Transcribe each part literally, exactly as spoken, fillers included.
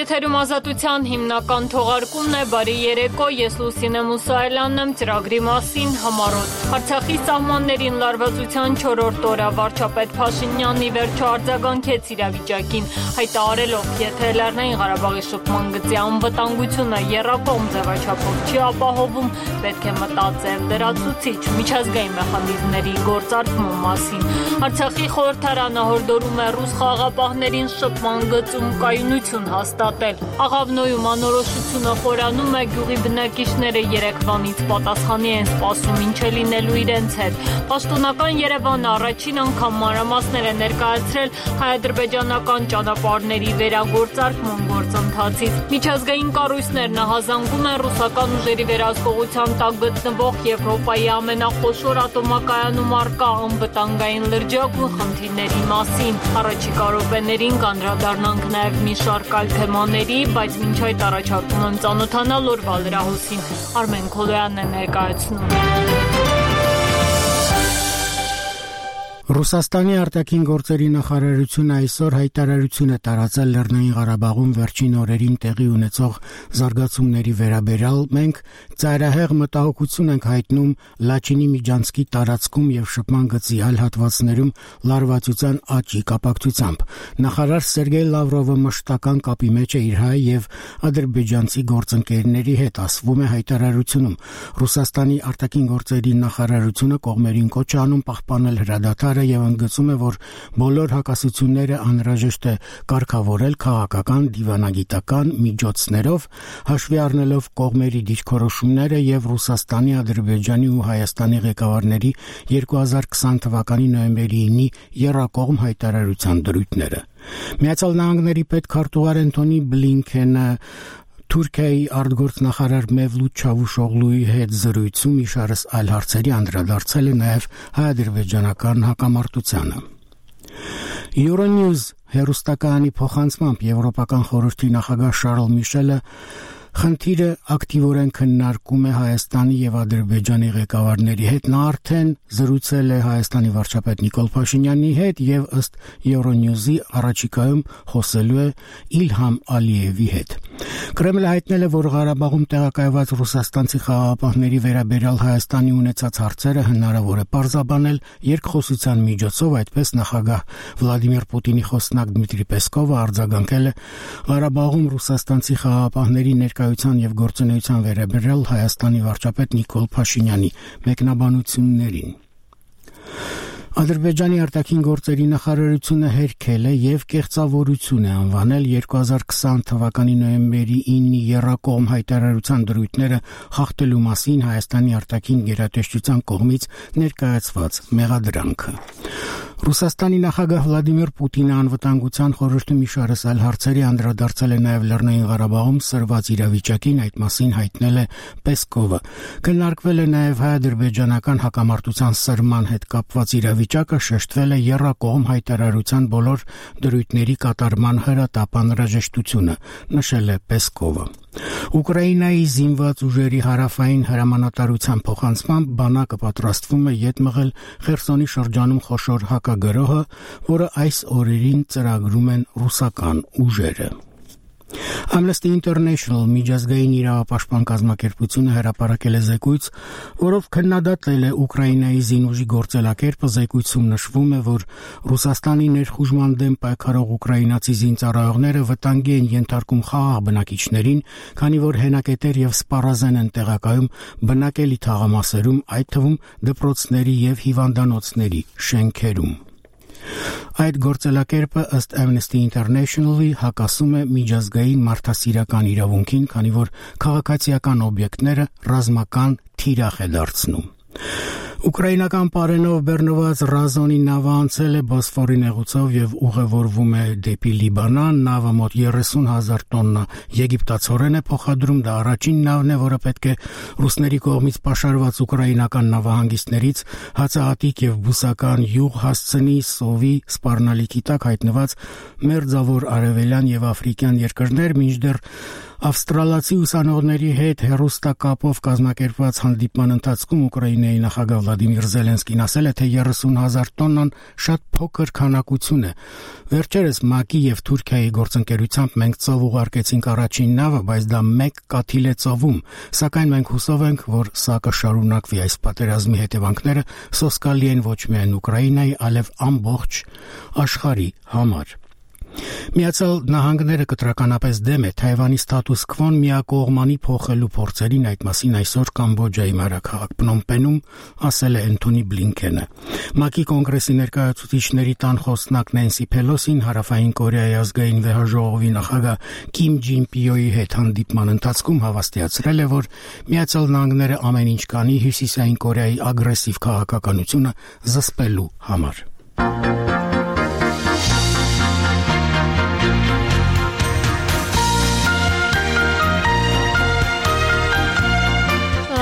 Եթերում Ազատության հիմնական թողարկումն է, բարի երեկո, ես Լուսինե Մուսայելյանն եմ, ծրագրի մասին համառոտ։ Արցախի սահմաններին լարվածության չորրորդ օրը վարչապետ Փաշինյանն ի վերջո արձագանքեց իրավիճակին, հայտարարելով, եթե Լեռնային Ղարաբաղի շփման գծի անվտանգությունը եռակողմ ձևաչափով չի ապահովում, պետք է մտածել լրացուցիչ միջազգային մեխանիզմների գործարկման մասին։ Արցախի խորհրդարանը հորդորում է ռուս խաղաղապահներին շփման գծում կայունություն հաստատել։ Աղավնոյում անորոշությունը խորանում է, գյուղի բնակիչները երեկվանից պատասխանի են սպասում ինչ է լինելու իրենց հետ։ Պաշտոնական Երևանը առաջին անգամ մանրամասներ է ներկայացրել հայ-ադրբեջանական ճանապարհների վերագործարկման գործընթացից։ Միջազգային կառույցներն ահազանգում են ռուսական ուժերի վերահսկողության տակ գտնվող Եվրոպայի ամենախոշոր ատոմակայանում առկա անվտանգային լրջագույն խնդիրների մասին։ Առաջիկա րոպեներին կանդրադառնանք նաև մի շարք այլ թեմաների, բայց մինչ այդ առաջարկում եմ ծանոթանալ օրվա լրահոսին։ Արմեն Քոլոյանն է ներկայացնում։ Ռուսաստանի արտաքին գործերի նախարարությունը այսօր հայտարարություն է տարածել Լեռնային Ղարաբաղում վերջին օրերին տեղի ունեցող զարգացումների վերաբերյալ։ Մենք ծայրահեղ մտահոգություն ենք հայտնում Լաչինի Միջանցքի տարածքում եւ շփման գծի այլ հատվածներում լարվածության աճի կապակցությամբ։ Նախարար Սերգեյ Լավրովը մշտական կապի մեջ է իր հայ եւ ադրբեջանցի գործընկերների հետ, ասվում է հայտարարությունում։ Ռուսաստանի արտաքին գործերի նախարարությունը կողմերին կոչ է անում պահպանել հրադադարը եւ ընդգծում է, որ բոլոր հակասությունները անհրաժեշտ է կարգավորել քաղաքական, դիվանագիտական միջոցներով, հաշվի առնելով կողմերի դիրքորոշումները եւ Ռուսաստանի, Ադրբեջանի ու Հայաստանի ղեկավարների երկու հազար քսան թվականի նոյեմբերի ինի եռակողմ հայտարարության դրույթները։ Միացյալ Նահանգների պետքարտուղար Անթոնի Բլինքենը Թուրքիայի արտգործնախարար Մևլութ Չավուշօղլուի հետ զրույցում իշարս այլ հարցերի անդրադարձել է նաև հայ-ադրբեջանական հակամարտությանը։ Euronews հեռուստակայանի փոխանցմամբ Եվրոպական խորհրդի նախագահ Շարլ Միշելը խնդիրը ակտիվորեն քննարկում է Հայաստանի եւ Ադրբեջանի ղեկավարների հետ։ Նա արդեն զրուցել է Հայաստանի վարչապետ Նիկոլ Փաշինյանի հետ եւ ըստ Euronews-ի առաջիկայում խոսելու է Իլհամ Ալիևի հետ։ Կրեմլը հայտնել է, որ Ղարաբաղում տեղակայված ռուսաստանցի խաղաղապահների վերաբերյալ Հայաստանի ունեցած հարցերը հնարավոր է պարզաբանել երկխոսության միջոցով, այդպես նախագահ Վլադիմիր Պուտինի խոսնակ Դմիտրի Պեսկովը արձագանքել է Ղարաբաղում ռուսաստանցի խաղաղապահների ներկայության եւ գործունեության վերաբերյալ Հայաստանի վարչապետ Նիկոլ Փաշինյանի մեկնաբանություններին։ Ադրբեջանի արտաքին գործերի նախարարությունը հերքել է եւ կեղծավորություն է անվանել երկու հազար քսան թվականի նոյեմբերի ինի եռակողմ հայտարարության դրույթները խախտելու մասին Հայաստանի արտաքին գերատեսչության կողմից ներկայացված մեղադրանքը։ Ռուսաստանի նախագահ Վլադիմիր Պուտինը անվտանգության խորհրդում իշարս այլ հարցերի անդրադարձել է նաև Լեռնային Ղարաբաղում սրված իրավիճակին, այդ մասին հայտնել է Պեսկովը։ Քննարկվել է նաև հայ-ադրբեջանական հակամարտության սրման հետ կապված իրավիճակը, շեշտվել է եռակողմ հայտարարության բոլոր դրույթների կատարման հրատապ անհրաժեշտությունը, նշել է Պեսկովը։ Ուկրաինայի զինված ուժերի հարավային հրամանատարության փոխանցմամբ բանակը պատրաստվում է ետ մղել Խերսոնի շրջանում խոշոր հակագրոհը, որը այս օրերին ծրագրում են ռուսական ուժերը։ Amnesty International միջազգային իրավապաշտպան կազմակերպությունը հրապարակել է զեկույց, որով քննադատել է Ուկրաինայի զինուժի գործելակերպը։ Զեկույցում նշվում է, որ Ռուսաստանի ներխուժման դեմ պայքարող ուկրաինացի զինծառայողները վտանգի են ենթարկում խաղաղ բնակիչներին, քանի որ հենակետեր եւ սպառազեն են տեղակայում բնակելի թաղամասերում, այդ թվում դպրոցների եւ հիվանդանոցների շենքերում։ Այդ գործելակերպը ըստ Amnesty International-ի հակասում է միջազգային մարդասիրական իրավունքին, քանի որ քաղաքացիական օբյեկտները ռազմական թիրախ է դարձնում։ Ուկրաինական պարենով բեռնված Ռազոնի նավը անցել է Բոսֆորի նեղուցով եւ ուղևորվում է դեպի Լիբանան։ Նավը մոտ երեսուն հազար տոննա եգիպտացորեն է փոխադրում։ Դա առաջին նավն է, որը պետք է ռուսների կողմից պաշարված ուկրաինական նավահանգիստներից հացահատիկ եւ բուսական յուղ հասցնի սովի սպառնալիքի տակ հայտնված մերձավոր արևելյան եւ աֆրիկյան երկրներ, մինչդեռ Ավստրալացի ուսանողների հետ հեռուստակապով կազմակերպված հանդիպման ընթացքում Ուկրաինայի նախագահ Վլադիմիր Զելենսկին ասել է, թե երեսուն հազար տոննան շատ փոքր քանակություն է։ Վերջերս ՄԱԿ-ի եւ Թուրքիայի գործընկերությամբ մենք ծով ուղարկեցինք առաջին նավը, բայց դա մեկ կաթիլ է ծովում, սակայն մենք հուսով ենք, որ սա կշարունակվի։ Այս պատերազմի հետևանքները սոսկալի են ոչ միայն Ուկրաինայի, այլև ամբողջ աշխարհի համար։ Միացյալ Նահանգները կտրականապես դեմ է Թայվանի ստատուս քվոն միակողմանի փոխելու փորձերին, այդ մասին այսօր Կամբոջայի մայրաքաղաք Փնոմ Պենում ասել է Էնթոնի Բլինքենը։ ՄԱԿ-ի կոնգրեսի ներկայացուցիչների տան խոսնակ Նենսի Փելոսին Հարավային Կորեայի ազգային վեհաժողովի նախագահ Կիմ Ջին-պիոյի հետ հանդիպման ընթացքում հավաստիացրել է, որ Միացյալ Նահանգները ամեն ինչ կանի Հյուսիսային Կորեայի ագրեսիվ քաղաքականությունը զսպելու համար։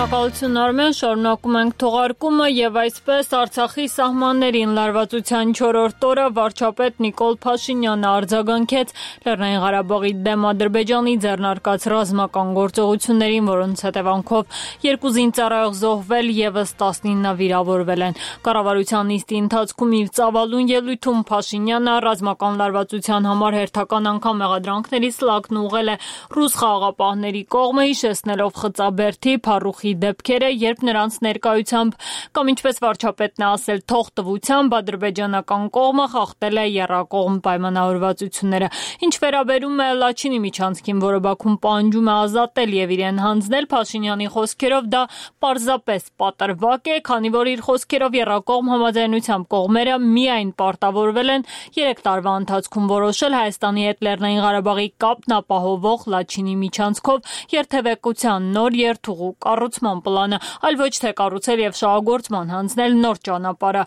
Շնորհակալություն Արմեն, շարունակում ենք թողարկումը եւ այսպես Արցախի սահմաններին լարվածության չորրորդ օրը վարչապետ Նիկոլ Փաշինյանը արձագանքեց Լեռնային Ղարաբաղի դեմ Ադրբեջանի ձեռնարկած ռազմական գործողություններին, որոնց հետևանքով երկու զինծառայող զոհվել եւս տասնինը վիրավորվել են։ Կառավարության նիստի ընթացքում իր ծավալուն ելույթում Փաշինյանը ռազմական լարվածության համար հերթական անգամ մեղադրանքների սլակն ուղղել է ռուս խաղաղապահների կողմը, հիշեցնելով Խծաբերդի, Փարուխի դեպքերը, երբ նրանց ներկայությամբ կամ ինչպես վարչապետն է ասել, թողտվությամբ ադրբեջանական կողմը խախտել է եռակողմ պայմանավորվածությունները։ Ինչ վերաբերում է Լաչինի միջանցքին, որը Բաքուն պահանջում է ազատել եւ իրեն հանձնել, Փաշինյանի խոսքերով դա պարզապես պատրվակ է, քանի որ իր խոսքերով եռակողմ համաձայնությամբ կողմերը միայն պարտավորվել են երեք տարվա ընթացքում որոշել Հայաստանի հետ Լեռնային Ղարաբաղի կապն ապահովող Լաչինի միջանցքով երթևեկության նոր երթուղու կառուցման պլանը, այլ ոչ թե կառուցել եւ շահագործման հանձնել նոր ճանապարհը։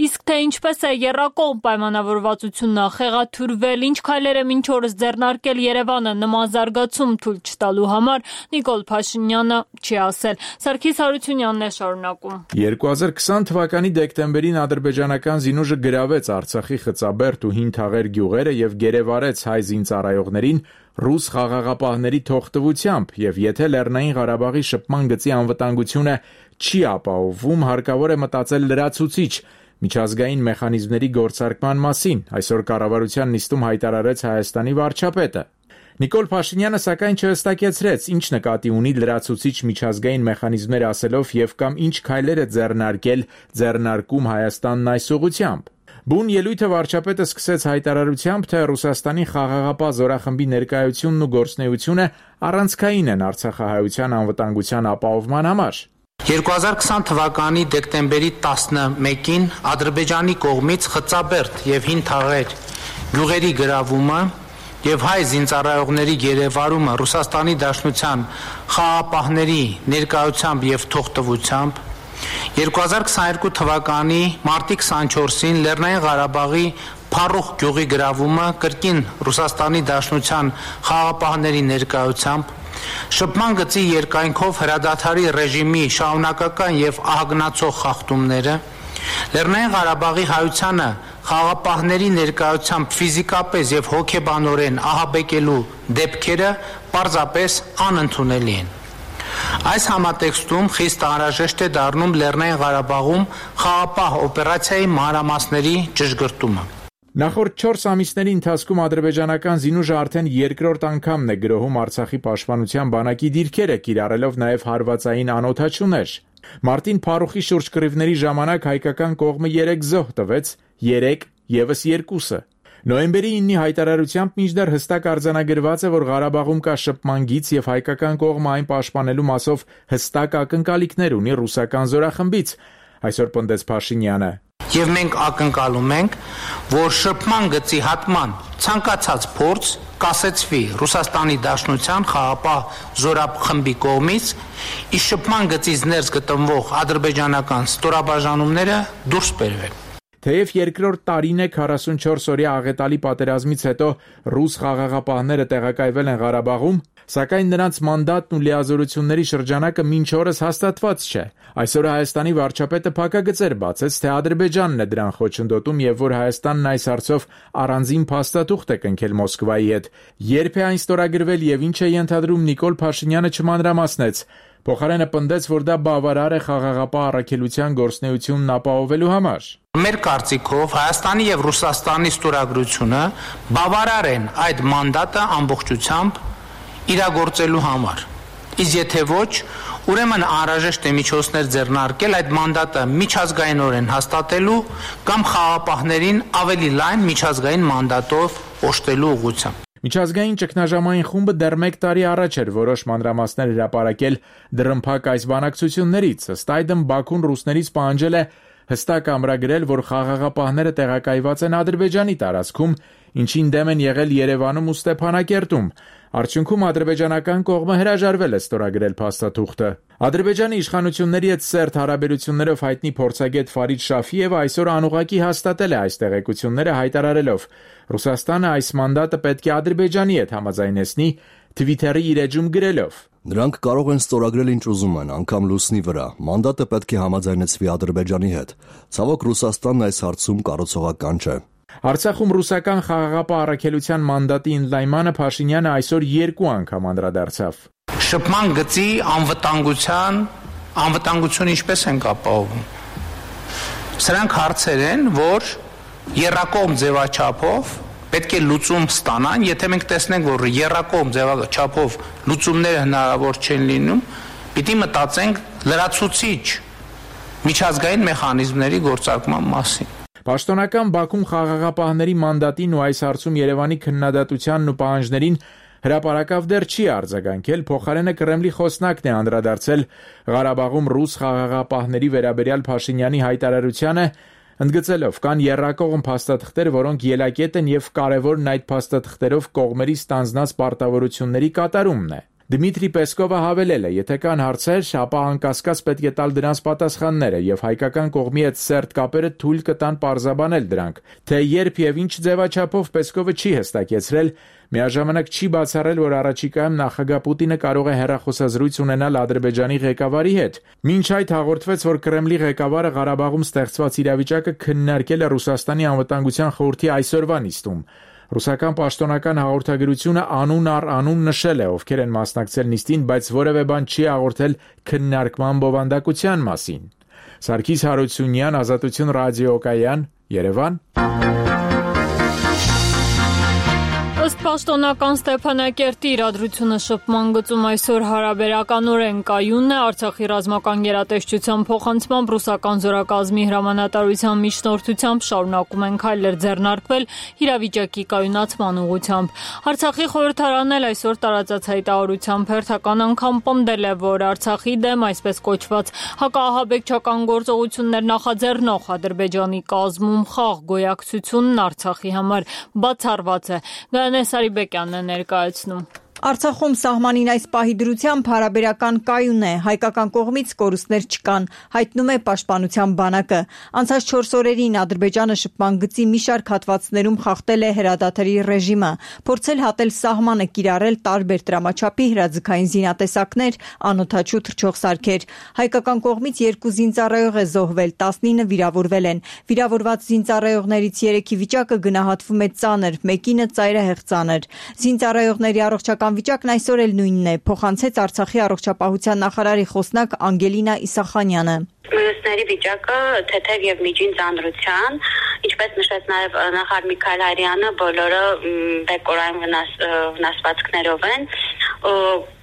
Իսկ թե ինչպես է եռակողմ պայմանավորվածությունը խեղաթյուրվել, ինչ քայլեր է մինչ օրս ձեռնարկել Երևանը նման զարգացում թույլ չտալու համար, Նիկոլ Փաշինյանը չի ասել։ Սարգիս Հարությունյանն է շարունակում։ երկու հազար քսան թվականի դեկտեմբերին ադրբեջանական զինուժը գրավեց Արցախի Խծաբերդ ու Հին Թաղեր գյուղերը եւ գերեվարեց հայ զինծառայողներին ռուս խաղաղապահների թողտվությամբ, եւ եթե Լեռնային Ղարաբաղի շփման գծի անվտանգությունը չի ապահովում, հարկավոր է մտածել լրացուցիչ միջազգային մեխանիզմների գործարկման մասին, այսօր կառավարության նիստում հայտարարեց Հայաստանի վարչապետը։ Նիկոլ Փաշինյանը սակայն չհստակեցրեց, ինչ նկատի ունի լրացուցիչ միջազգային մեխանիզմներ ասելով եւ կամ ինչ քայլեր է ձեռնարկել ձեռնարկում Հայաստանն այս ուղղությամբ։ Բուն ելույթը վարչապետը սկսեց հայտարարությամբ, թե Ռուսաստանի խաղաղապահ զորախմբի ներկայությունն ու գործունեությունը առանցքային են արցախահայության անվտանգության ապահովման համար։ երկու հազար քսան թվականի դեկտեմբերի տասնմեկին Ադրբեջանի կողմից Խծաբերդ եւ Հին Թաղեր գյուղերի գրավումը եւ հայ զինծառայողների գերեվարումը Ռուսաստանի Դաշնության խաղաղապահների ներկայությամբ եւ թողտվությամբ, երկու հազար քսաներկու թվականի մարտի քսանչորսին Լեռնային Ղարաբաղի Փարուխ գյուղի գրավումը կրկին Ռուսաստանի Դաշնության խաղաղապահների ներկայությամբ, շփման գծի երկայնքով հրադադարի ռեժիմի շարունակական եւ ահագնացող խախտումները, Լեռնային Ղարաբաղի հայությանը խաղաղապահների ներկայությամբ ֆիզիկապես եւ հոգեբանորեն ահաբեկելու դեպքերը պարզապես անընդունելի են։ Այս համատեքստում խիստ անհրաժեշտ է դառնում Լեռնային Ղարաբաղում խաղաղապահ օպերացիայի մանրամասների ճշգրտումը։ Նախորդ չորս ամիսների ընթացքում ադրբեջանական զինուժը արդեն երկրորդ անգամն է գրոհում Արցախի պաշտպանության բանակի դիրքերը, կիրառելով նաև հարվածային անօդաչուներ։ Մարտին Փարուխի շուրջ կռիվների ժամանակ հայկական կողմը երեք զոհ տվեց, երեք եւս երկուսը։ Նոյեմբերի իննի հայտարարությամբ մինչդեռ հստակ արձանագրված է, որ Ղարաբաղում կա շփման գիծ եւ հայկական կողմը այն պաշտպանելու մասով հստակ ակնկալիքներ ունի ռուսական զորախմբից, այսօր պնդեց Փաշինյանը։ Եվ մենք ակնկալում ենք, որ շփման գծի հատման ցանկացած փորձ կասեցվի Ռուսաստանի Դաշնության խաղաղապահ զորախմբի կողմից, իսկ շփման գծից ներս գտնվող ադրբեջանական ստորաբաժանումները դուրս բերվեն։ Թեև երկրորդ տարին է քառասունչորս օրյա աղետալի պատերազմից հետո ռուս խաղաղապահները տեղակայվել են Ղարաբաղում, սակայն նրանց մանդատն ու լիազորությունների շրջանակը մինչ օրս հաստատված չէ։ Այսօր Հայաստանի վարչապետը փակագծեր բացեց, թե Ադրբեջանն է դրան խոչընդոտում եւ որ Հայաստանն այս հարցով առանձին փաստաթուղթ է կնքել Մոսկվայի հետ։ Երբ է այն ստորագրվել եւ ինչ է ենթադրում Նիկոլ Փաշինյանը չմանրամասնեց։ Փոխարենը պնդեց, որ դա բավարար է խաղաղապահ առաքելության գործունեությունն ապահովելու համար։ Մեր կարծիքով Հայաստանի եւ Ռուսաստանի ստորագրությունը բավարար են այդ մանդատը ամբողջությամբ իրագործելու համար։ Իսկ եթե ոչ, ուրեմն անհրաժեշտ է միջոցներ ձեռնարկել այդ մանդատը միջազգայինորեն հաստատելու կամ խաղաղապահներին ավելի լայն միջազգային մանդատով օժտելու ուղղությամբ։ Միջազգային ճգնաժամային խումբը դեռ մեկ տարի առաջ էր որոշ մանրամասներ հրապարակել դռնփակ այս բանակցություններից։ Ըստ այդմ Բաքուն ռուսներից պահանջել է հստակ ամրագրել, որ խաղաղապահները տեղակայված են Ադրբեջանի տարածքում, ինչին դեմ են եղել Երևանում ու Ստեփանակերտում։ Արդյունքում ադրբեջանական կողմը հրաժարվել է ստորագրել փաստաթուղթը։ Ադրբեջանի իշխանությունների հետ սերտ հարաբերություններով հայտնի փորձագետ Ֆարիդ Շաֆիևը այսօր անուղղակի հաստատել է այս տեղեկությունները, հայտարարելով. Ռուսաստանը այս մանդատը պետք է Ադրբեջանի հետ համաձայնեցնի, Twitter-ի իր էջում գրելով. Նրանք կարող են ստորագրել ինչ ուզում են, անգամ լուսնի վրա։ Մանդատը պետք է համաձայնեցվի Ադրբեջանի հետ։ Ցավոք Ռուսաստանն այս հարցում կառուցողական չէ։ Արցախում ռուսական խաղաղապահ առաքելության մանդատի ընդլայնմանը Փաշինյանը այսօր երկու անգամ անդրադարձավ։ Շփման գծի անվտանգության անվտանգությունը ինչպես են ապահովում։ Սրանք հարցեր են, որ եռակողմ ձևաչափով պետք է լուծում ստանան, եթե մենք տեսնենք, որ եռակողմ ձևաչափով լուծումները հնարավոր չեն լինում, պիտի մտածենք լրացուցիչ միջազգային մեխանիզմների գործարկման մասին։ Պաշտոնական Բաքուն խաղաղապահների մանդատին ու այս հարցում Երևանի քննադատությանն ու պահանջներին հրապարակավ դեռ չի արձագանքել, փոխարենը Կրեմլի խոսնակն է անդրադարձել Ղարաբաղում ռուս խաղաղապահների վերաբերյալ Փաշինյանի հայտարարությանը, ընդգծելով կան եռակողմ փաստաթղթեր, որոնք ելակետ են եւ կարեւորն այդ փաստաթղթերով կողմերի ստանձնած պարտավորությունների կատարումն է։ Դմիտրի Պեսկովը հավելել է, եթե կան հարցեր, ապա անկասկած պետք է տալ դրանց պատասխանները եւ հայկական կողմի հետ սերտ կապերը թույլ կտան պարզաբանել դրանք։ Թե երբ եւ ինչ ձևաչափով Պեսկովը չի հստակեցրել, միաժամանակ չի բացառել, որ առաջիկայում նախագահ Պուտինը կարող է հեռախոսազրույց ունենալ Ադրբեջանի ղեկավարի հետ։ Մինչ այդ հաղորդվեց, որ Կրեմլի ղեկավարը Ղարաբաղում ստեղծված իրավիճակը քննարկել է Ռուսաստանի անվտանգության խորհրդի այսօրվա նիստում։ Ռուսական պաշտոնական հաղորդագրությունը անուն առ անուն նշել է, ովքեր են մասնակցել նիստին, բայց որևէ բան չի հաղորդել քննարկման բովանդակության մասին։ Սարգիս Հարությունյան, Ազատություն ռադիոկայան, Երևան։ Ըստ պաշտոնական Ստեփանակերտի իրադրությունը շփման գծում այսօր հարաբերականորեն կայուն է, Արցախի ռազմական գերատեսչության փոխանցմամբ ռուսական զորակազմի հրամանատարության միջնորդությամբ շարունակում են քայլեր ձեռնարկվել իրավիճակի կայունացման ուղղությամբ։ Արցախի խորհրդարանն էլ այսօր տարածած հայտարարությամբ հերթական անգամ պնդել է, որ Արցախի դեմ այսպես կոչված հակաահաբեկչական գործողություններ նախաձեռնող Ադրբեջանի կազմում խաղ գոյակցությունն Արցախի համար բացառված է։ Սարիբեկյանն է ներկայացնում։ Արցախում սահմանին այս պահի դրությամբ հարաբերական կայուն է, հայկական կողմից կորուստներ չկան, հայտնում է Պաշտպանության բանակը։ Անցած չորս օրերին Ադրբեջանը շփման գծի մի շարք հատվածներում խախտել է հրադադարի ռեժիմը, փորձել հատել սահմանը, կիրառել տարբեր տրամաչափի հրաձգային զինատեսակներ, անօդաչու թռչող սարքեր։ Հայկական կողմից երկու զինծառայող է զոհվել, տասնինը վիրավորվել են։ Վիրավորված զինծառայողներից երեքի վիճակը գնահատվում է ծանր, մեկինը ծայրահեղ ծանր։ Զինծառայողների առողջական վիճակն այսօր էլ նույնն է, փոխանցեց Արցախի առողջապահության նախարարի խոսնակ Անգելինա Իսախանյանը։ Մյուսների վիճակը թեթև եւ միջին ծանրության, ինչպես նշեց նաեւ նախարար Միքայել Հայրյանը, բոլորը բեկորային վնաս, վնասվածքներով են,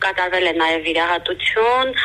կատարվել է նաեւ վիրահատություն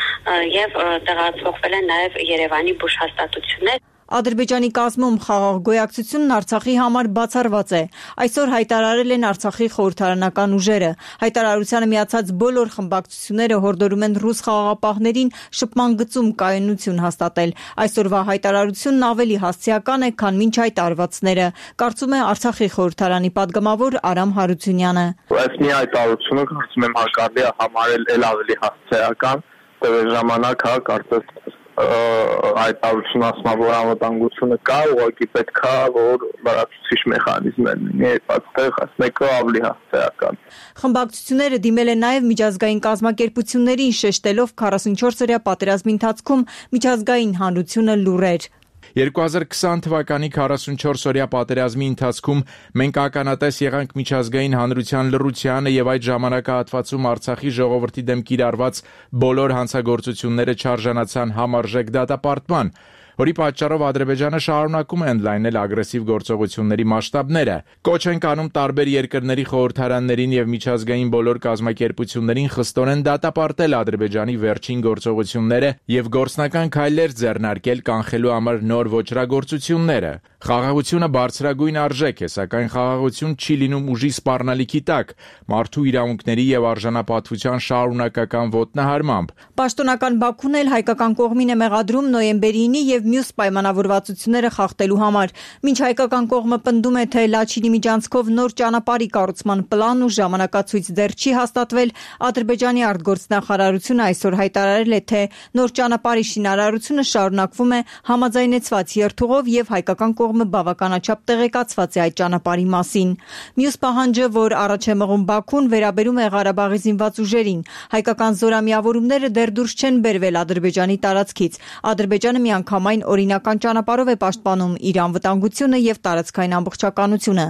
եւ տեղափոխվել են նաեւ Երևանի բուժհաստատություններ։ Ադրբեջանի կազմում խաղաղ գոյակցությունն Արցախի համար բացառված է։ Այսօր հայտարարել են Արցախի խորհրդարանական ուժերը։ Հայտարարությանը միացած բոլոր խմբակցությունները հորդորում են ռուս խաղաղապահներին շփման գծում կայունություն հաստատել։ Այսօրվա հայտարարությունն ավելի հասցեական է, քան մինչ այդ արվածները, կարծում է Արցախի խորհրդարանի падգամավոր Արամ Հարությունյանը։ Այս մի հայտարարությունը կարծում եմ հարկարելի է համարել ել ավելի հասցեական, տևել ժամանակ հա կարծես հայտարարություն ասում որ անվտանգությունը կա, ուղղակի պետք է որ լրացուցիչ մեխանիզմներ լինի, այդտեղ մեկը ավելի հասարակական։ Խմբակցությունները դիմել են նաև միջազգային կազմակերպություններին, շեշտելով քառասունչորս օրյա պատերազմի ընթացքում միջազգային հանրությունը լուռ էր։ երկու հազար քսան թվականի քառասունչորս օրյա պատերազմի ընթացքում մենք ականատես եղանք միջազգային հանրության լռությանը եւ այդ ժամանակահատվածում Արցախի ժողովրդի դեմ կիրառված բոլոր հանցագործությունները չարժանացան համարժեք դատապարտման, որի պատճառով Ադրբեջանը շարունակում է ընդլայնել ագրեսիվ գործողությունների մասշտաբները։ Կոչ են անում տարբեր երկրների խորհրդարաններին եւ միջազգային բոլոր կազմակերպություններին խստորեն դատապարտել Ադրբեջանի վերջին գործողությունները եւ գործնական քայլեր ձեռնարկել կանխելու համար նոր ոչրագործությունները։ Խաղաղությունը բարձրագույն արժեք է, սակայն խաղաղություն չի լինում ուժի սպառնալիքի տակ, մարդու իրավունքների եւ արժանապատվության շարունակական ոտնահարմամբ։ Պաշտոնական Բաքուն էլ հայկական կողմին է մեղադրում նոյեմբերի ինը եւ մյուս պայմանավորվածությունները խախտելու համար։ Մինչ հայկական կողմը պնդում է, թե Լաչինի միջանցքով նոր ճանապարհի կառուցման պլան ու ժամանակացույց դեռ չի հաստատվել, Ադրբեջանի արտգործնախարարությունը այսօր հայտարարել է, թե նոր ճանապարհի շինարարությունը շարունակվում է համաձայնեցված երթուղով եւ հայկական կողմը բավականաչափ տեղեկացված է այդ ճանապարհի մասին։ Մյուս պահանջը, որ առաջ է մղում Բաքուն, վերաբերում է Ղարաբաղի զինված ուժերին։ Հայկական զորամիավորումները դեռ դուրս չեն բերվել Ադրբեջանի տարածքից։ Ադրբեջանը միանգամայն օրինական ճանապարհով է պաշտպանում իր անվտանգությունը եւ տարածքային ամբողջականությունը։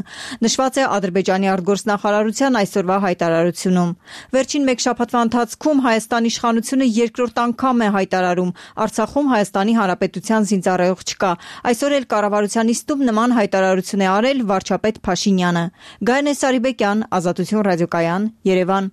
Նշված է Ադրբեջանի արտգործնախարարության այսօրվա հայտարարությունում։ Վերջին մեկ շաբաթվա ընթացքում Հայաստանի իշխանությունը երկրորդ անգամ է հայտարարում Արցախում Հայաստանի Հանրապետության զինծառայող չկա։ Այսօր էլ կառավարության նիստում նման հայտարարություն է արել վարչապետ Փաշինյանը։ Գայանե Սարիբեկյան, Ազատություն ռադիոկայան, Երևան։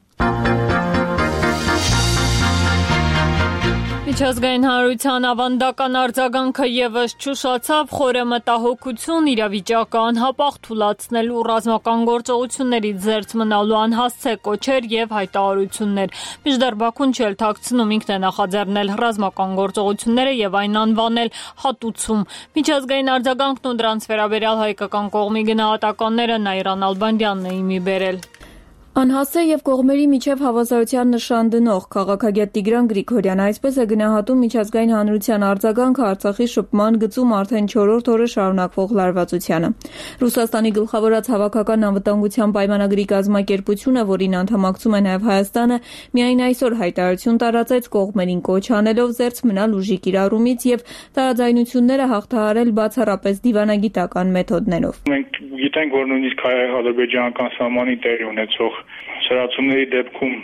Միջազգային հանրության ավանդական արձագանքը եւս չուշացավ, խորը մտահոգություն, իրավիճակը անհապաղ թուլացնելու ռազմական գործողություններից զերծ մնալու անհասցե կոչեր եւ հայտարարություններ։ Մինչդեռ Բաքուն չէ թաքցնում, ինքն է նախաձեռնել ռազմական գործողությունները եւ այն անվանել հատուցում։ Միջազգային արձագանքն ու դրանց վերաբերյալ հայկական կողմի գնահատականները Նաիրան Ալբանդյանն է իմի բերել։ Անհասցե եւ կողմերի միջև հավասարության նշան դնող քաղաքագետ Տիգրան Գրիգորյանը այսպես է գնահատում միջազգային հանրության արձագանքը Արցախի շփման գծում արդեն չորրորդ օրը շարունակվող լարվածությանը։ Ռուսաստանի գլխավորած հավաքական անվտանգության պայմանագրի կազմակերպությունը, որին անդամակցում է նաեւ Հայաստանը, միայն այսօր հայտարարություն տարածեց կողմերին կոչ անելով զերծ մնալ ուժի կիրառումից եւ տարաձայնությունները հաղթահարել բացառապես դիվանագիտական մեթոդներով։ Մենք գիտենք, որ նույնիսկ ադրբեջանական սահմանի տեղի ունեցող սրացումների դեպքում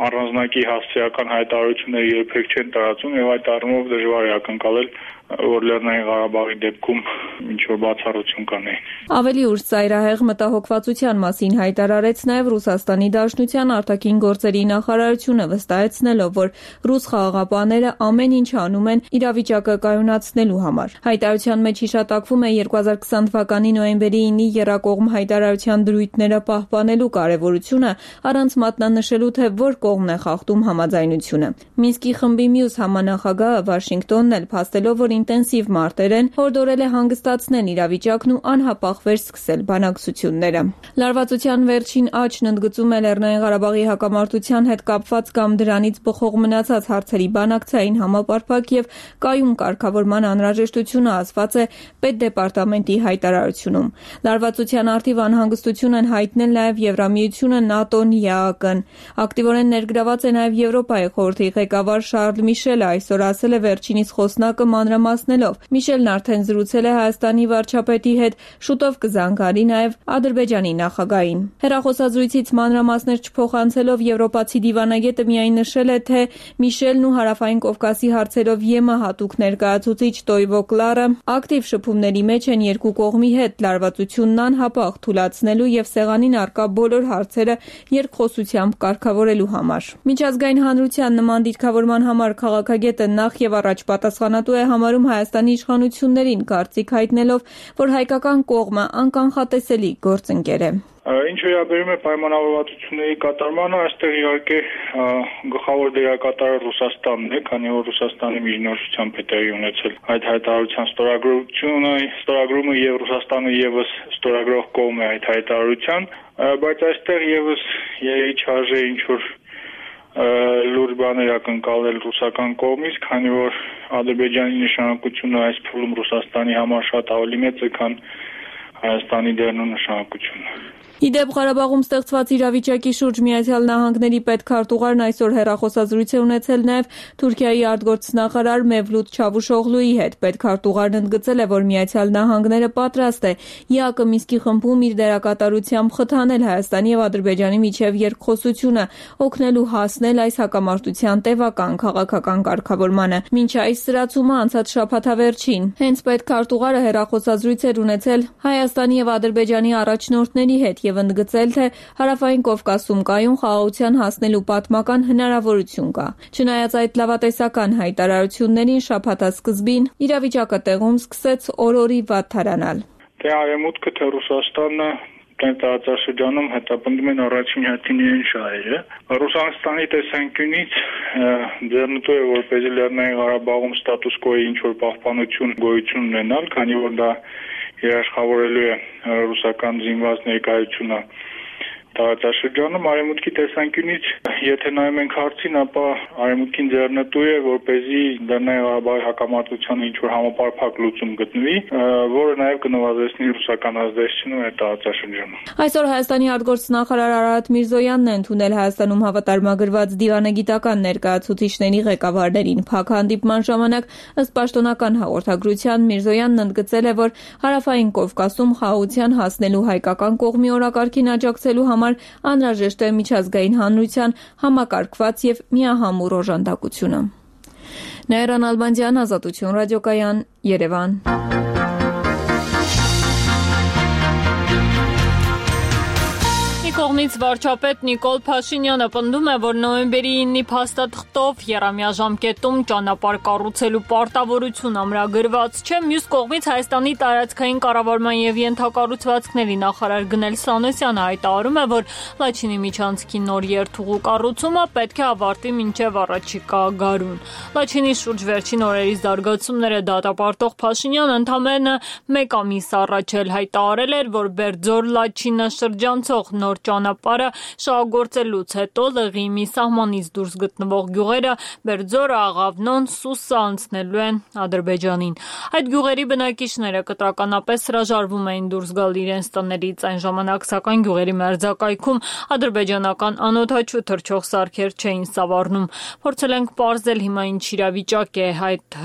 առանձնակի հասցեական հայտարարությունները երբեք չեն տարածում եւ այդ առումով դժվար է ակնկալել, որ Լեռնային Ղարաբաղի դեպքում ինչ որ բացառություն կանե։ Ավելի ուշ ծայրահեղ մտահոգվածության մասին հայտարարեց նաև Ռուսաստանի Դաշնության արտաքին գործերի նախարարությունը, վստահեցնելով, որ ռուս խաղաղապահները ամեն ինչ անում են իրավիճակը կայունացնելու համար։ Հայտարարության մեջ հիշատակվում է երկու հազար քսան թվականի նոյեմբերի ինի եռակողմ հայտարարության դրույթները պահպանելու կարևորությունը, առանց մատնանշելու, թե որ կողմն է խախտում համաձայնությունը։ Մինսկի խմբի մյուս համանախագահը Վաշինգտոնն էլ փաստելով, որ ինտենսիվ մարտեր են, հորդորել է հանգստացնել իրավիճակն ու անհապաղ վերսկսել բանակցությունները։ Լարվածության վերջին աճն ընդգծում է Լեռնային Ղարաբաղի հակամարտության հետ կապված կամ դրանից բխող մնացած հարցերի բանակցային համապարփակ եւ կայուն կարգավորման անհրաժեշտությունը ասված է Պետդեպարտամենտի հայտարարությունում։ Լարվածության արդիվ անհանգստություն են հայտնել նաեւ Եվրամիությունը, ՆԱՏՕ-ն, ԵԱՀԿ-ն։ Ակտիվորեն ներգրաված է նաեւ Եվրոպայի խորհրդի ղեկավար Շարլ Միշելը, այսօր ասել է վերջինիս խոսնակը մանրամասնելով։ Միշելն արդեն զրուցել է Հայաստանի վարչապետի հետ, շուտով կզանգարի նաեւ Ադրբեջանի նախագահին։ Հեռախոսազրույցից մանրամասներ չփոխանցելով եվրոպացի դիվանագետը միայն նշել է, թե Միշելն ու Հարավային Կովկասի հարցերով ԵՄ հատուկ ներկայացուցիչ Տոյվո Կլարը ակտիվ շփումների մեջ են երկու կողմի հետ լարվածությունն անհապաղ թուլացնելու եւ սեղանին առկա բոլոր հարցերը երկխոսությամբ կարգավորելու համար։ Միջազգային հանրության նման դիրքավորման համար քաղաքագետը նախ եւ առաջ պատասխանատու է համարում Հայաստանի իշխանություններին, կարծիք հայտնելով, որ հայկական կողմը անկանխատեսելի գործընկեր է։ Ինչ վերաբերում է պայմանավորվածությունների կատարմանը, այստեղ իհարկե գլխավոր դերակատարը Ռուսաստանն է, քանի որ Ռուսաստանի միջնորդությամբ է տեղի ունեցել այդ հայտարարության ստորագրությունը, ստորագրումը եւ Ռուսաստանը եւս ստորագրող կողմ է այդ հայտարարության, բայց այստեղ եւս երևի չարժե ինչ որ լուրջ բաներ ակնկալել ռուսական կողմից, քանի որ Ադրբեջանի նշանակությունը այս փուլում Ռուսաստանի համար շատ ավելի մեծ է, քան Հայաստանի դերն ու նշանակությունը։ Իդեպ Ղարաբաղում ստեղծված իրավիճակի շուրջ Միացյալ Նահանգների պետքարտուղարն այսօր հեռախոսազրույց է ունեցել նաև Թուրքիայի արտգործնախարար Մևլութ Չավուշօղլուի հետ։ Պետքարտուղարն ընդգծել է, որ Միացյալ Նահանգները պատրաստ է ԵԱԿ Մինսկի խմբում իր դերակատարությամբ խթանել Հայաստանի եւ Ադրբեջանի միջև երկխոսությունը, օգնելու հասնել այս հակամարտության տևական քաղաքական կարգավորմանը։ Մինչ այս սրացումը անցած շաբաթավերջին հենց պետքարտուղարը հեռախոսազրույց էր ունեցել Հայաստանի եւ Ադրբեջանի առաջնորդների հետ եւ ընդգծել, թե Հարավային Կովկասում կայուն խաղաղության հասնելու պատմական հնարավորություն կա։ Չնայած այդ լավատեսական հայտարարություններին շաբաթասկզբին իրավիճակը տեղում սկսեց օրորի վատթարանալ։ Թե Արևմուտքը, թե Ռուսաստանը տարածաշրջանում հետապնդում են առաջին հերթին իրեն շահերը։ Ռուսաստանի տեսանկյունից ձեռնտու է որպեսզի Լեռնային Ղարաբաղում ստատուս կոյի ինչ-որ պահպանություն գոյություն ունենալ, քանի որ դա երաշխավորելու է ռուսական զինված ներկայությունը տարածաշրջանում։ Արևմուտքի տեսանկյունից, եթե նայում ենք հարցին, ապա Արևմուտքին ձեռնտու է, որպեսզի Լեռնային Ղարաբաղի հակամարտությանը ինչ-որ համապարփակ լուծում գտնվի, որը նաև կնվազեցնի ռուսական ազդեցությունը մեր տարածաշրջանում։ Այսօր Հայաստանի արտգործնախարար Արարատ Միրզոյանն է ընդունել Հայաստանում հավատարմագրված դիվանագիտական ներկայացուցիչների ղեկավարներին։ Փակ հանդիպման ժամանակ, ըստ պաշտոնական հաղորդագրության, Միրզոյանն ընդգծել է, որ Հարավային Կովկասում խաղաղության հասնելու հայկական կողմի օրակարգին աջակցելու համար անհրաժեշտ է միջազգային հանրության համակարգված եւ միահամուռ օժանդակությունը։ Նաիրա Նալբանդյան, Ազատություն ռադիոկայան, Երևան։ Կողմից վարչապետ Նիկոլ Փաշինյանը պնդում է, որ նոյեմբերի ինը փաստաթղթով եռամյա ժամկետում ճանապարհ կառուցելու պարտավորություն ամրագրված չէ, մյուս կողմից Հայաստանի տարածքային կառավարման եւ ենթակառուցվածքների նախարար Գնել Սանոսյանը հայտարարում է, որ Լաչինի միջանցքի նոր երթուղու կառուցումը պետք է ավարտվի մինչեւ առաջիկա գարուն։ Լաչինի շուրջ վերջին օրերի զարգացումները դատապարտող Փաշինյանը ընդամենը մեկ ամիս առաջ էլ հայտարարել էր, որ Բերձոր-Լաչինը շրջանցող նոր ճանապարհը շահագործելուց հետո Լղի մի սահմանից դուրս գտնվող գյուղերը Բերձորը, Աղավնոն, Սուսը անցնելու են Ադրբեջանին։ Այդ գյուղերի բնակիչները կտրականապես հրաժարվում էին դուրս գալ իրենց տներից, այն ժամանակ սակայն գյուղերի մերձակայքում ադրբեջանական անօդաչու թռչող սարքեր չէին սավառնում։ Փորձել ենք պարզել հիմա ինչ իրավիճակ է այդ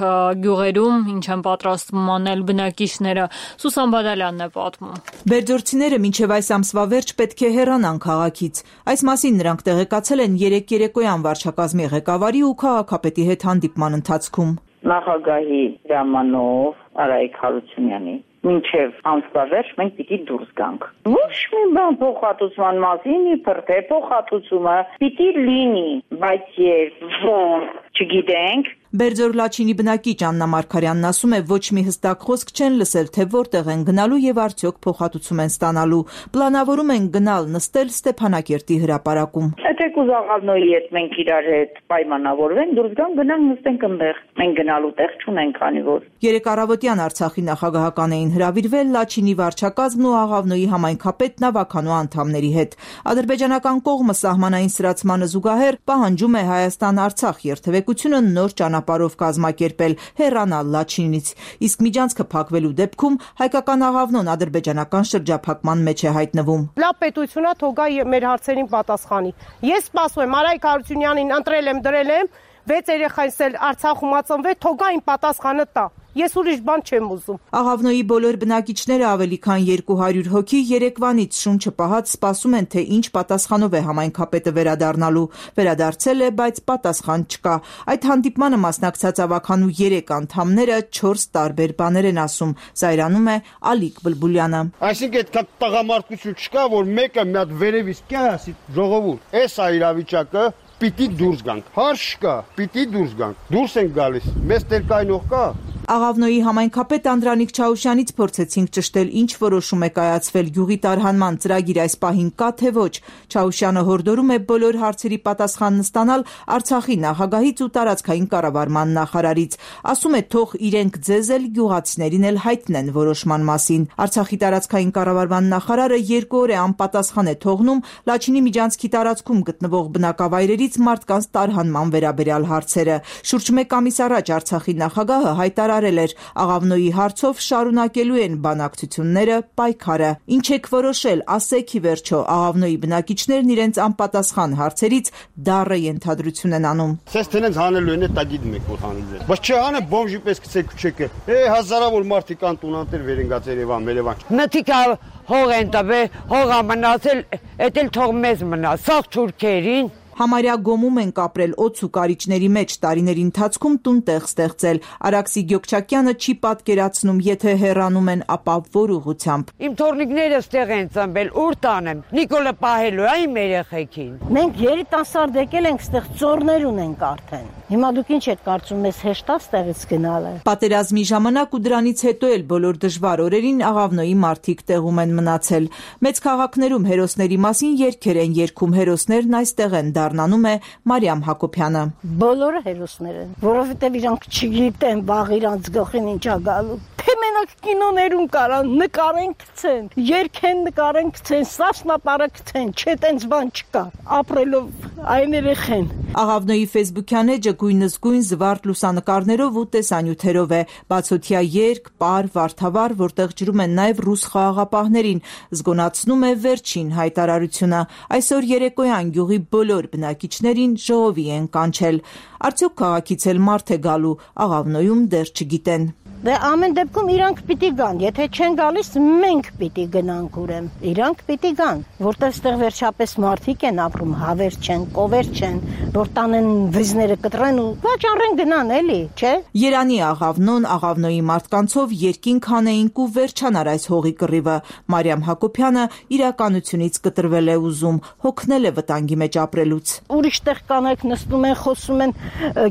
գյուղերում, ինչ են պատրաստվում անել բնակիչները։ Սուսան Բադալյանն է պատմում։ Բերձորցիները մինչև այս ամսվա վերջ պետք է հեռանան քաղաքից։ Այս մասին նրանք տեղեկացել են երեկ երեկոյան վարչակազմի ղեկավարի ու քաղաքապետի հետ հանդիպման ընթացքում։ Նախագահի հրամանով Արայիկ Հարությունյանի մինչև ամսվա վերջ մենք պիտի դուրս գանք։ Ոչ մի բան փոխհատուցման մասին, իբր թե փոխհատուցումը պիտի լինի, բայց երբ ոնց չգիտենք։ Բերձոր-Լաչինի բնակիչ Աննա Մարգարյանն ասում է, ոչ մի հստակ խոսք չեն լսել, թե որտեղ են գնալու եւ արդյոք փոխհատուցում են ստանալու։ Պլանավորում են գնալ նստել Ստեփանակերտի հրապարակում։ Եթե կուզաղալնոյի հետ մենք իրար հետ պայմանավորվենք, դուրս գանք, գնանք նստենք այնտեղ։ Մենք գնալու տեղ չունենք, քանի որ երեք առավոտյան Արցախի նախագահական էին հրավիրվել Լաչինի վարչակազմն ու Աղավնոյի համայնքապետ Նավականու անդամների հետ։ Ադրբեջանական կողմը սահմանային սրացմանը զուգահեռ պահանջում է Հայաստան-Արցախ երթևեկությունը նոր ճանապարհով կազմակերպել, հեռանալ Լաչինից, իսկ միջանցքը փակվելու դեպքում հայկական Աղավնոն ադրբեջանական շրջափակման մեջ է հայտնվում։ Լավ պետությունա թողա մեր հարցերին պատասխանի։ Ես սպասում եմ Արայիկ Հարությունյանին, ընտրել եմ, դրել եմ, վեց երեխայս էլ Արցախում ածնվել, թողա իմ պատասխանը տա։ Ես ուրիշ բան չեմ ուզում։ Աղավնոյի բոլոր բնակիչները ավելի քան երկու հարյուր հոգի երեկվանից շունչը պահած սպասում են, թե ինչ պատասխանով է համայնքապետը վերադառնալու։ Վերադարձել է, բայց պատասխան չկա։ Այդ հանդիպմանը մասնակցած ավականու երեք անդամները չորս տարբեր բաներ են ասում։ Զայրանում է Ալիկ Բլբուլյանը։ Այսինքն այդ տղամարդկություն չկա, որ մեկը մի հատ վերևից կա, ասի ժողովուրդ, էս է իրավիճակը, պիտի դուրս գանք։ Հարց չկա, պիտի դուրս գանք։ Դուրս ենք գալիս։ Մեզ տերկայնող կա։ Աղավնոյի համայնքապետ Անդրանիկ Չաուշյանից փորձեցինք ճշտել ինչ որոշում է կայացվել գյուղի տարհանման ծրագիր այս պահին կա թե ոչ։ Չաուշյանը հորդորում է բոլոր հարցերի պատասխանն ստանալ Արցախի նախագահից ու տարածքային կառավարման նախարարից։ Ասում է թող իրենք ձեզ էլ գյուղացիներին էլ հայտնեն որոշման մասին։ Արցախի տարածքային կառավարման նախարարը երկու օր է անպատասխան է թողնում Լաչինի միջանցքի տարածքում գտնվող բնակավայրերից մարդկանց տարհանման վերաբերյալ հարցերը։ Շուրջ մեկ ամիս առաջ Արցախի նախագահը հայտարարել էր Աղավնոյի հարցով շարունակելու են բանակցությունները, պայքարը։ Ինչ եք որոշել, ասեք ի վերջո, Աղավնոյի բնակիչներն իրենց անպատասխան հարցերից դառը ենթադրություն են անում։ Սես տենց հանելու են, դա գիտում եք որ հանելու են։ Բայց չհանը բոմժի պես գցեք քչեկը։ Է հազարավոր մարդիկ կան տունանտեր վերենգած Երևան, Երևան։ Նտիկա հող են տվել, հողա մնացել, էդ էլ թող մեզ մնա, սաղ թուրքերին։ Համարյա գոմում են կապրել օձ ու կարիճների մեջ տարիների ընթացքում տուն տեղ ստեղծել։ Արաքսի Գյոքչակյանը չի պատկերացնում, եթե հեռանում են, ապա որ ուղղությամբ։ Իմ թորնիկները ստեղ են ծնվել, ուր տանեմ։ Նիկոլը պահելու է իմ երեխեքին։ Մենք երիտասարդ եկել ենք ստեղ ծորներ ունենք արդեն։ Հիմա դուք ինչ եք կարծում, մեզ հեշտ է ստեղից գնալը։ Պատերազմի ժամանակ ու դրանից հետո էլ բոլոր դժվար օրերին Աղավնոյի մարդիկ տեղում են մնացել։ Մեծ քաղաքներում հերոսների մասին երգեր են երգում, հերոսներն այստեղ են դառնանում է Մարիամ Հակոբյանը։ Բոլորը հերոսներ են, որովհետև իրանք չգիտեն վաղ իրանց գլխին ինչ է գալու։ Թե մենակ կինոներում կարան նկարեն գցեն, երգեն նկարեն գցեն, սասնապարը գցեն, չէ տենց բան չկա։ Ապրելով այն երեխեն։ Աղավնոյի Facebook-յան էջը գույնզգույն զվարթ լուսանկարներով ու տեսանյութերով է։ Բացօթյա երգ, պար, վարդավառ, որտեղ ջրում են նաև ռուս խաղաղապահներին, զգոնացնում է վերջին հայտարարությունը։ Այսօր երեկոյան գյուղի բոլոր բնակիչներին ժողովի են կանչել։ Արդյոք քաղաքից էլ մարդ է գալու, Աղավնոյում դեռ չգիտեն։ Դե ամեն դեպքում իրանք պիտի գան, եթե չեն գալիս մենք պիտի գնանք ուրեմ, իրանք պիտի գան, որտեղ ստեղ վերջապես մարդիկ են ապրում, հավեր չեն, կովեր չեն, որ տանեն վիզները կտրեն ու վաճառեն գնան էլի, չէ։ Երանի Աղավնոն, Աղավնոյի մարդկանցով երկինք հանեինք ու վերջանար այս հողի կռիվը։ Մարիամ Հակոբյանը իրականությունից կտրվել է ուզում, հոգնել է վտանգի մեջ ապրելուց։ Ուրիշ տեղ կանայք նստում են, խոսում են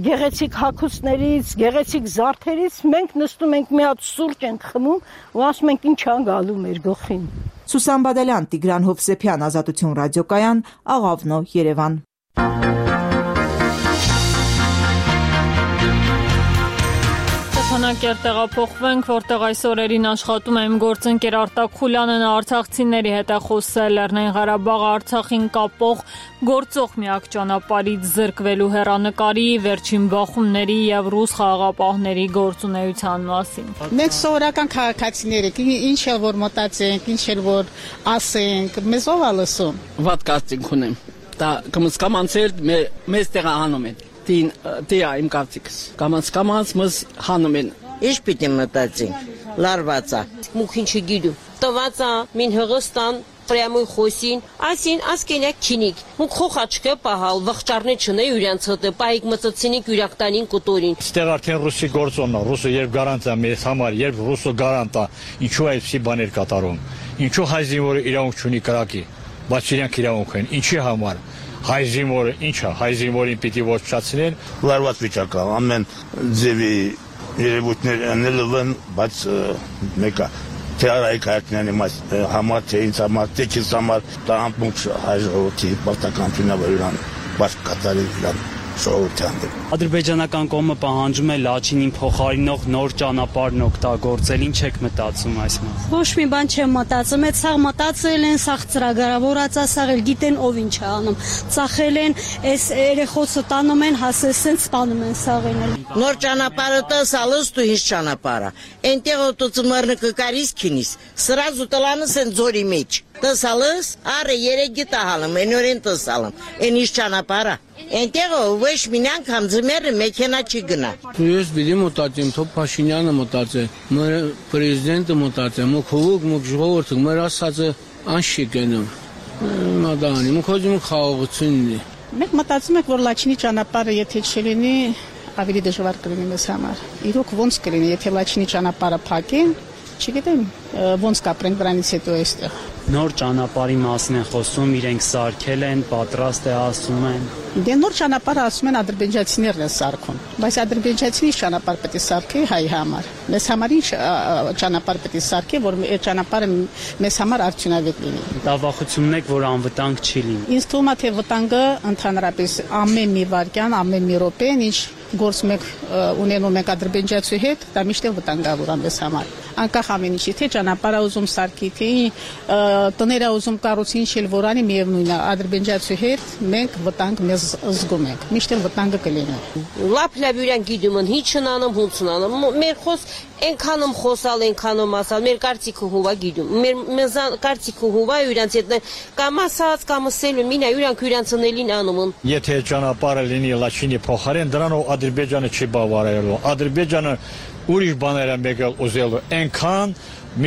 գեղեցիկ հագուստներից, գեղեցիկ զարդերից, մենք նստում ենք մի հատ սուրճ ենք խմում ու ասում ենք ինչ ա գալու մեր գլխին։ Սուսան Բադալյան, Տիգրան Հովսեփյան, Ազատություն ռադիոկայան, Աղավնո, Երևան։ Ստեփանակերտ տեղափոխվենք, որտեղ այս օրերին աշխատում է իմ գործընկեր Արտակ Խուլյանը, նա արցախցիների հետ է խոսել Լեռնային Ղարաբաղը Արցախին կապող գործող միակ ճանապարհից զրկվելու հեռանկարի, վերջին բախումների եւ ռուս խաղաղապահների գործունեության մասին։ Մենք սովորական քաղաքացիներ ենք, ինչ էլ որ մտածենք, ինչ էլ որ ասենք, մեզ ով է լսում։ Վատ կարծիք ունեմ։ Դա կմսկամ անցել մեզ տեղահանում են։ Տին տիա իմ կարծիքս կամանց կամանց մս հանում են Ինչ պիտի մտածենք լարվածա մուքին չգիտու տվածա մին հղստան Прямой խոսին, ասին ասկենակ քինիկ։ Մուք խոխաչկը պահալ, վղճարնե չնե յուրանց հտը, պայիկ մծծինիկ յուրակտանին կոտորին։ Ստեղ արդեն ռուսի գործոնն է, ռուսը երբ գարանտ է մեզ համար, երբ ռուսը գարանտ է, ինչու այսպիսի բաներ կատարում։ Ինչու հայ զինվորը իրավունք չունի կրակի, բայց իրանք իրավունք են, ինչի համար։ Հայ զինվորը ինչ է, հայ զինվորին պիտի ոչնչացնեն։ Լարված վիճակ է, ամեն ձևի երևույթներ անելն, բայց մեկը թե արայք հայտնանի համար, թե ինձ համար, թե քեզ համար, դա ամբողջ հայ ժողովրդի պարտականությունն է, որ իրան բաց կատարել իրան ժողովրդյան դեմ։ Ադրբեջանական կողմը պահանջում է Լաչինին փոխարինող նոր ճանապարհն օգտագործել, ինչ եք մտածում այս մասին։ Ոչ մի բան չեմ մտածում, այդ սաղ մտածել են, սաղ ծրագրավորած է, սաղ էլ գիտեն ով ինչ է անում։ Ծախել են, այս երեխոցը տանում են, հասեսեն, սպանում են սաղին էլ։ Նոր ճանապարհը տասալս դու ինչ ճանապարհը։ Այնտեղ օտոծմարը կկարիս քինիս, սրազու տլանս են ձորի մեջ։ Տասալս, արը երեգի տահալım, enören տասալım, en iş ճանապարհը։ Այնտեղ ոչ մի անգամ ձմերը մեքենա չի գնա։ Ես բիդի մտածեմ, թող Փաշինյանը մտածե, մեր պրեզիդենտը մտածե, մոք հողոք, մոք ժողովուրդը, մեր ասածը անշի գնում։ Մադանի, մոք հոջում խաղաղությունն է։ Մենք մտածում ենք, որ Լաչինի ճանապարհը եթե չլինի, ավելի դժվար կլինի մեզ համար։ Իրոք ոնց կլինի, եթե Լաչինի ճանապարհը փակեն, չգիտեմ, ոնց կապրենք դրանից հետո այստեղ։ Նոր ճանապարհի մասին են խոսում, իրենք սարքել են, պատրաստ է ասում են։ Դե նոր ճանապարհը ասում են ադրբեջանցիներն են սարքում, բայց ադրբեջանցի ճանապարհ պետք է սարքի հայ համար։ Մեզ համար ինչ ճանապարհ պետք է սարքի, որ այդ ճանապարհը մեզ համար արդյունավետ լինի։ Տավախությունն եք, որ անվտանգ չի լինի։ Ինձ թվում է, թե վտանգը ընդհանրապես ամեն մի վայրկյան, ամեն մի րոպեն, ինչ գործ մեկ ունենում ենք ադրբեջանցի հետ, դա միշտ վտանգավոր է մեզ համար։ Անկախ ամեն ինչի, թե ճանապարհը ուզում սարքի, թե տները ուզում կառուցի, ինչ էլ որ անի, միևնույն է, ադրբեջանցի հետ մենք վտանգ մեզ զգում ենք, միշտ էլ վտանգը կլինի։ Լապ լապ յուրան գիտում են, հիչ չնանում, հունց նանում։ Մեր խոս այնքանում խոսալ, այնքանում ասալ, մեր կարծիքը հուվա գիտում։ Մեր մեզ կարծիքը հուվա յուրանց հետ կամ ասած, կամ ասելու, մինա յուրանք յուրանցնելին անում են։ Եթե ճանապարհը լինի Լաչինի փոխարեն, դրանով Ադրբեջանը չի բավարարելու։ Ադրբեջանը ուրիշ բաներ է եկել ուզելու, այնքան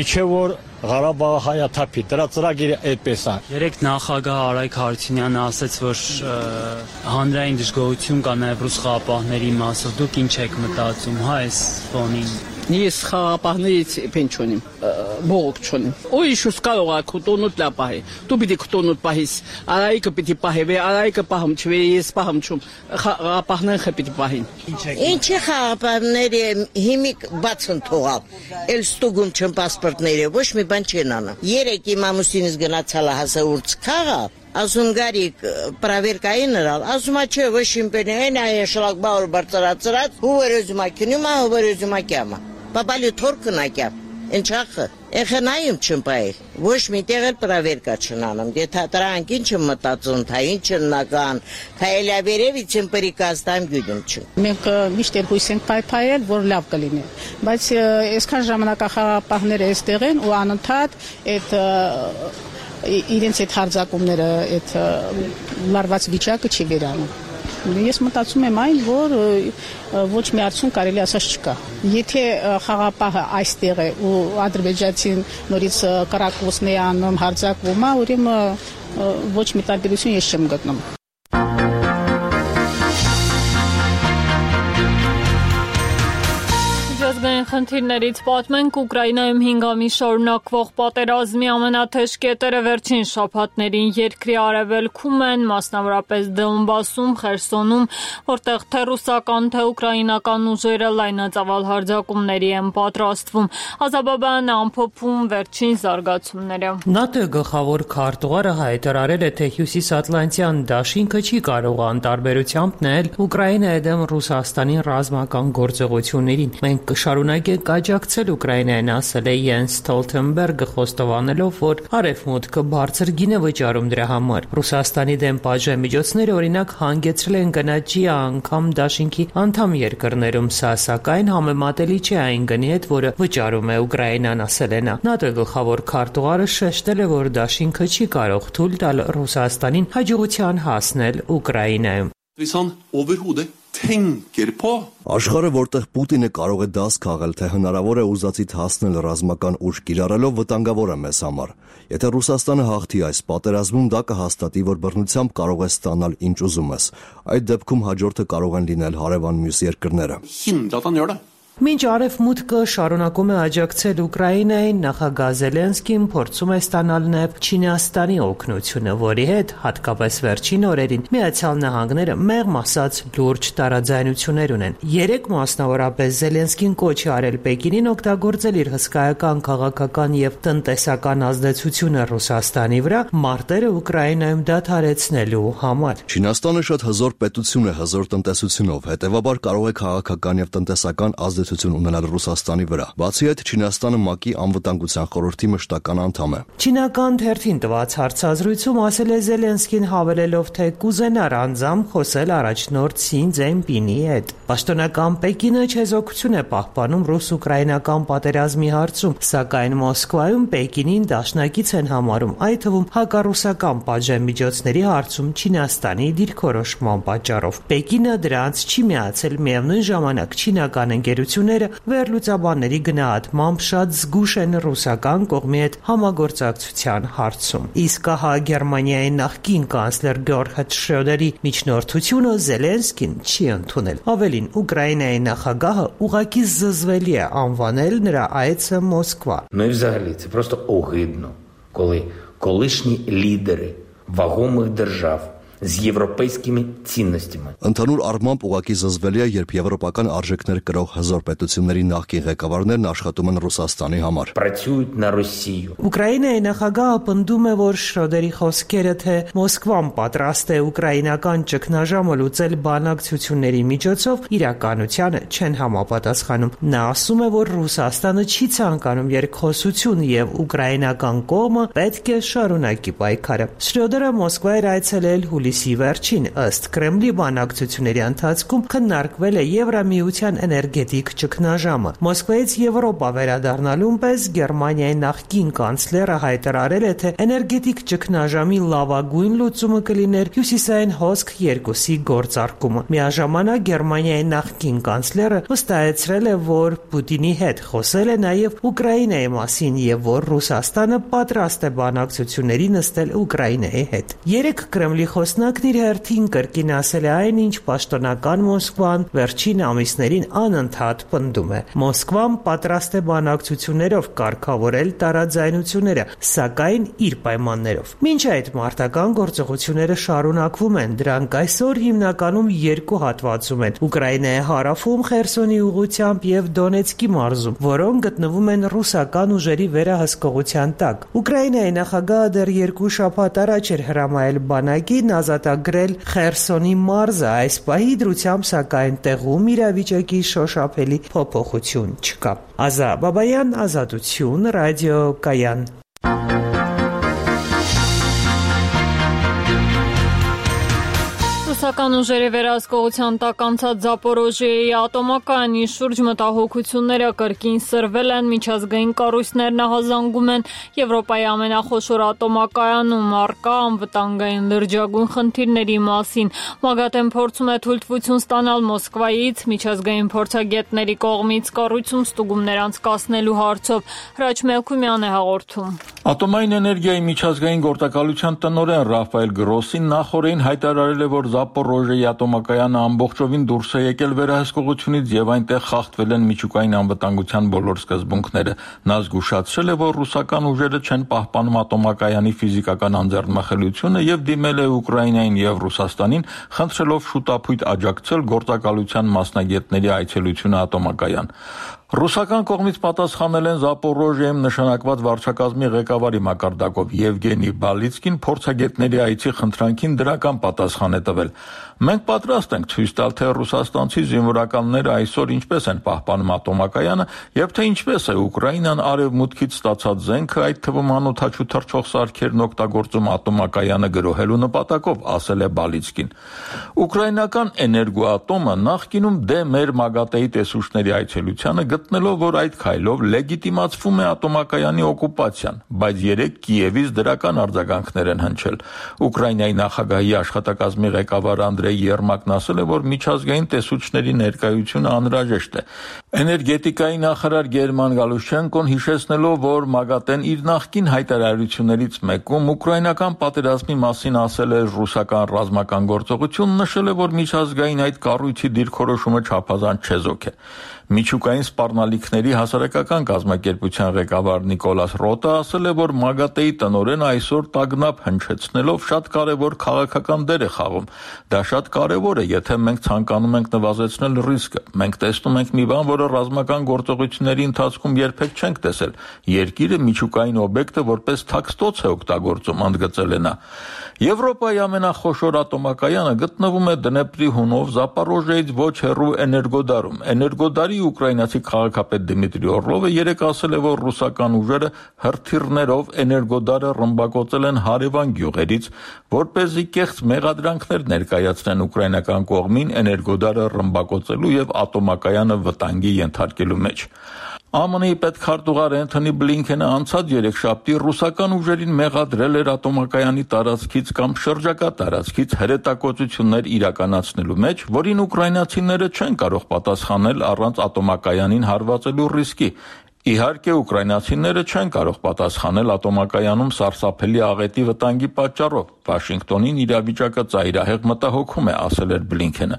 միջև որ Ղարաբաղը հայաթափի, դրա ծրագիրը այդպես է։ Երեք նախագահ Արայք Հարությունյանը ասաց, որ հանրային դժգոհություն կա նաև ռուս խաղապահների մասով։ Դուք ինչ եք մտածում, հա, այս ֆոնին։ Ես խաղապահներից պեն չունիմ, բողոք չունիմ։ Ուրիշուս կարող է քուտոնուտ լապահի։ Դու պիտի քուտոնուտ պահիս, Արայիկը պիտի պահի, վե Արայիկը պահում չվե, ես պահում չում, խաղապահներն պիտի պահին։ Ինչի խաղապահները հիմիկ բացն թողավ, էլ ստուգում չն պասպորտները, ոչ մի բան չեն անը։ Երեք իմ ամուսինս գնացալ հասա ուրց քաղավ, ասում գարիկ պրավերկային նրալ, ասում է չէ, ոչ իմպենի, են այ շլակ բավոր բարձրացրած, հուվերոզում ակյունում է, հուվերոզում ակյամը։ Պապալի թորքն ակյամ, ընչախը, էխնայում չմպայ, ոչ մի տեղ էլ պրավերկա չնանում, դե թատրանք ինչ եմ մտածում, թա ինչ նական, թա էլավերևից եմ պրիկաստամ գյուդում չմ։ Մենք միշտ էլ հույս ենք պայպայել, որ լավ կլինի, բայց այսքան ժամանակախաղապահները այստեղ են ու անընդհատ այդ իրենց այդ հարձակումները, այդ լարված վիճակը չի վերանում։ Ես մտածում եմ այն, որ ոչ մի արդյունք կարելի ասած չկա։ Եթե խաղապահը այստեղ է ու ադրբեջանցին նորից կրակոցն է անում, հարձակվում է, ուրեմն ոչ մի տարբերություն ես չեմ գտնում։ Ազգային խնդիրներից պատմենք Ուկրաինայում հինգ ամիս շարունակվող պատերազմի ամենաթեժ կետերը վերջին շաբաթներին երկրի արևելքում են, մասնավորապես Դոնբասում, Խերսոնում, որտեղ թե ռուսական, թե ուկրաինական ուժերը լայնածավալ հարձակումների են պատրաստվում։ Ազաբաբանը ամփոփում վերջին զարգացումները։ ՆԱՏՕ գլխավոր քարտուղարը հայտարարել է, թե Հյուսիսատլանտյան դաշինքը չի կարող անտարբերությամբ նայել Ուկրաինայի դեմ Ռուսաստանի ռազմական գործողություններին։ Մենք կշարունակենք աջակցել Ուկրաինային, ասել է Յենս Ստոլթենբերգը, խոստովանելով, որ Արևմուտքը բարձր գին է վճարում դրա համար։ Ռուսաստանի դեմ պատժամիջոցները օրինակ հանգեցրել են գնաճի անգամ դաշինքի անդամ երկրներում, սա սակայն համեմատելի չէ այն գնի հետ, որը վճարում է Ուկրաինան, ասել է նա։ ՆԱՏՕ գլխավոր քարտուղարը շեշտել է, որ դաշինքը չի կարող թույլ տալ Ռուսաստանին հաջողության հասնել Ուկրաինայում։ Աշխարհը, որտեղ Պուտինը կարող է դաս քաղել, թե հնարավոր է ուզածիդ հասնել ռազմական ուժ կիրառելով, վտանգավոր է մեզ համար։ Եթե Ռուսաստանը հաղթի այս պատերազմում, դա կհաստատի, որ բռնությամբ կարող է ստանալ ինչ ուզում ես։ Այդ դեպքում հաջորդը կարող են լինել հարևան մյուս երկրները։ Մինչ Արևմուտքը շարունակում է աջակցել Ուկրաինային, նախագահ Զելենսկին փորձում է ստանալ նաև Չինաստանի օգնությունը, որի հետ, հատկապես վերջին օրերին, Միացյալ Նահանգները մեղմ ասած լուրջ տարաձայնություններ ունեն։ Երեք մասնավորապես Զելենսկին կոչ է արել Պեկինին օգտագործել իր հսկայական քաղաքական եւ տնտեսական ազդեցությունը Ռուսաստանի վրա մարտերը Ուկրաինայում դադարեցնելու համար։ Չինաստանը շատ հզոր պետություն է հզոր տնտեսությունով, հետևաբար կարող է քաղաքական եւ տնտեսական ազդեցություն ունենալ Ռուսաստանի վրա։ Բացի այդ, Չինաստանը ՄԱԿ-ի անվտանգության խորհրդի մշտական անդամ է։ Չինական թերթին տված հարցազրույցում ասել է Զելենսկին, հավելելով, թե կուզենար անձամբ խոսել առաջնորդ Սի Ցզինպինի հետ։ Պաշտոնական Պեկինը չեզոքություն է պահպանում ռուս-ուկրաինական պատերազմի հարցում, սակայն Մոսկվայում Պեկինին դաշնակից են համարում, այդ թվում հակառուսական պատժամիջոցների հարցում Չինաստանի դիրքորոշման պատճառով։ Պեկինը դրանց չի միացել, միևնույն ժամանակ չինական ընկերությունները վերլուծաբանների գնահատմամբ շատ զգուշ են ռուսական կողմի հետ համագործակցության հարցում։ Իսկ հա Գերմանիայի նախկին կանցլեր Գերհարդ Շրոդերի միջնորդությունը Զելենսկին չի ընդունել։ Ավելին, Ուկրաինայի նախագահը ուղղակի զզվելի է անվանել նրա այցը Մոսկվա։ Ну і взагалі це просто огидно, коли колишні лідери вагомих держав з європейськими цінностями. Ընդհանուր առմամբ ուղղակի զզվելի է, երբ եվրոպական արժեքներ կրող հզոր պետությունների նախկին ղեկավարներն աշխատում են Ռուսաստանի համար. Працюють на Росію. Ուկրաինայի նախագահը պնդում է, որ Շրոդերի խոսքերը, թե Մոսկվան պատրաստ է ուկրաինական ճգնաժամը լուծել բանակցությունների միջոցով, իրականությանը չեն համապատասխանում։ Նա ասում է, որ Ռուսաստանը չի ցանկանում երկխոսություն եւ ուկրաինական կողմը պետք է շարունակի պայքարը։ Շրոդերը Մոսկվա էր այցելել հուլիսի վերջին, ըստ Կրեմլի բանակցությունների ընթացքում քննարկվել է Եվրամիության էներգետիկ ճգնաժամը։ Մոսկվայից Եվրոպա վերադառնալուն պես Գերմանիայի նախկին կանցլերը հայտարարել է, թե էներգետիկ ճգնաժամի լավագույն լուծումը կլիներ հյուսիսային հոսք երկուսի գործարկումը։ Միաժամանակ Գերմանիայի նախկին կանցլերը վստահեցրել է, որ Պուտինի հետ խոսել է նաև Ուկրաինայի մասին եւ որ Ռուսաստանը պատրաստ է բանակցությունների նստել Ուկրաինայի հետ։ Երեք Կրեմլի խոսնակն իր հերթին կրկին ասել է այն, ինչ պաշտոնական Մոսկվան վերջին ամիսներին անընդհատ պնդում է։ Մոսկվան պատրաստ է բանակցություններով կարգավորել տարաձայնությունները, սակայն իր պայմաններով։ Մինչ այդ մարտական գործողությունները շարունակվում են, դրանք այսօր հիմնականում երկու հատվածում են՝ Ուկրաինայի հարավում Խերսոնի ուղղությամբ եւ Դոնեցկի մարզում, որոնք գտնվում են ռուսական ուժերի վերահսկողության տակ։ Ուկրաինայի նախագահը դեռ երկու շաբաթ առաջ էր հրամայել բանակին ազատագրել Խերսոնի մարզը, այս պահի դրությամբ սակայն տեղում իրավիճակի շոշափելի փոփոխություն չկա։ Ազա Բաբայան, Ազատություն, Ռադիո Կայան։ Ռուսական ուժերի վերահսկողության տակ անցած Զապորոժիեի ատոմակայանի շուրջ մտահոգությունները կրկին սրվել են, միջազգային կառույցներն ահազանգում են Եվրոպայի ամենախոշոր ատոմակայանում առկա անվտանգային լրջագույն խնդիրների մասին։ ՄԱԳԱՏԵ-ն փորձում է թույլտվություն ստանալ Մոսկվայից միջազգային փորձագետների կողմից կառույցում ստուգումներ անցկացնելու հարցով։ Հրաչ Մելքումյան է հաղորդում։ Ատոմային էներգիայի միջազգային գործակալության տնօրեն Ռաֆայել Գրոսին նախորդին հայտարարել է, որ Զապորոժիեի ատոմակայանը ամբողջովին դուրս է եկել վերահսկողությունից եւ այնտեղ խախտվել են միջուկային անվտանգության բոլոր սկզբունքները։ Նա զգուշացրել է, որ ռուսական ուժերը չեն պահպանում ատոմակայանի ֆիզիկական անձեռնմխելիությունը եւ դիմել է Ուկրաինային եւ Ռուսաստանին, խնդրելով շուտապույտ աջակցել գործակալության մասնագետների այցելությունը ատոմակայան։ Ռուսական կողմից պատասխանել են Զապորոժիայում նշանակված վարչակազմի ղեկավարի մակարդակով Եվգենի Բալիցկին փորձագետների այցի խնդրանքին դրական պատասխան է տվել։ Մենք պատրաստ ենք ցույց տալ, թե ռուսաստանցի զինվորականները այսօր ինչպես են պահպանում ատոմակայանը եւ թե ինչպես է Ուկրաինան արևմուտքից ստացած զենքը, այդ թվում անօդաչու թռչող սարքերն օգտագործում ատոմակայանը գրոհելու նպատակով, ասել է Բալիցկին։ Ուկրաինական էներգոատոմը նախկինում դեմ էր ՄԱԳԱՏԵ-ի տեսուչների այցելությանը, գտնելով, որ այդ քայլով լեգիտիմացվում է ատոմակայանի օկուպացիան, բայց երեք Կիևից դրական արձագանքներ են հնչել։ Ուկրաինայի նախագահի աշխատակազմի ղեկավար Անդրեյ Երմակն ասել է, որ միջազգային տեսուչների ներկայությունը անհրաժեշտ է։ Էներգետիկայի նախարար Գերման Գալուշչենկոն հիշեցնելով, որ ՄԱԳԱՏԵ-ն իր նախկին հայտարարություններից մեկում ուկրաինական պատերազմի մասին ասել է ռուսական ռազմական գործողություն, նշել է, որ միջազգային այդ կառույցի դիրքորոշումը չափազանց չեզոք է։ Միջուկային սպառնալիքների հասարակական կազմակերպության ղեկավար Նիկոլաս Ռոտը ասել է, որ ՄԱԳԱՏԵ-ի տնօրենը այսօր տագնապ հնչեցնելով շատ կարևոր քաղաքական դեր է խաղում։ Դա շատ կարևոր է, եթե մենք ցանկանում ենք նվազեցնել ռիսկը։ Մենք տեսնում ենք մի բան, որը ռազմական գործողությունների ընթացքում երբեք չենք տեսել։ Երկիրը միջուկային օբյեկտը որպես թաքստոց է օգտագործում, ընդգծել է նա։ Եվրոպայի ամենախոշոր ատոմակայանը գտնվում է Դնեպրի հունով Զապորոժիեից ոչ հեռու Էներգոդարում։ Էներգոդարի ուկրաինացի քաղաքապետ Դմիտրի Օրլովը երեկ ասել է, որ ռուսական ուժերը հրթիռներով Էներգոդարը ռմբակոծել են հարևան գյուղերից, որպեսզի կեղծ մեղադրանքներ ներկայացնեն ուկրաինական կողմին Էներգոդարը ռմբակոծելու եւ ատոմակայանը վտանգի ենթարկելու մեջ։ ԱՄՆ-ի պետքարտուղար Էնթոնի Բլինքենը անցած երեքշաբթի ռուսական ուժերին մեղադրել էր ատոմակայանի տարածքից կամ շրջակա տարածքից հրետակոծություններ իրականացնելու մեջ, որին ուկրաինացիները չեն կարող պատասխանել առանց ատոմակայանին հարվածելու ռիսկի։ Իհարկե, ուկրաինացիները չեն կարող պատասխանել ատոմակայանում սարսափելի աղետի վտանգի պատճառով։ Վաշինգտոնին իրավիճակը ծայրահեղ մտահոգում է, ասել էր Բլինքենը։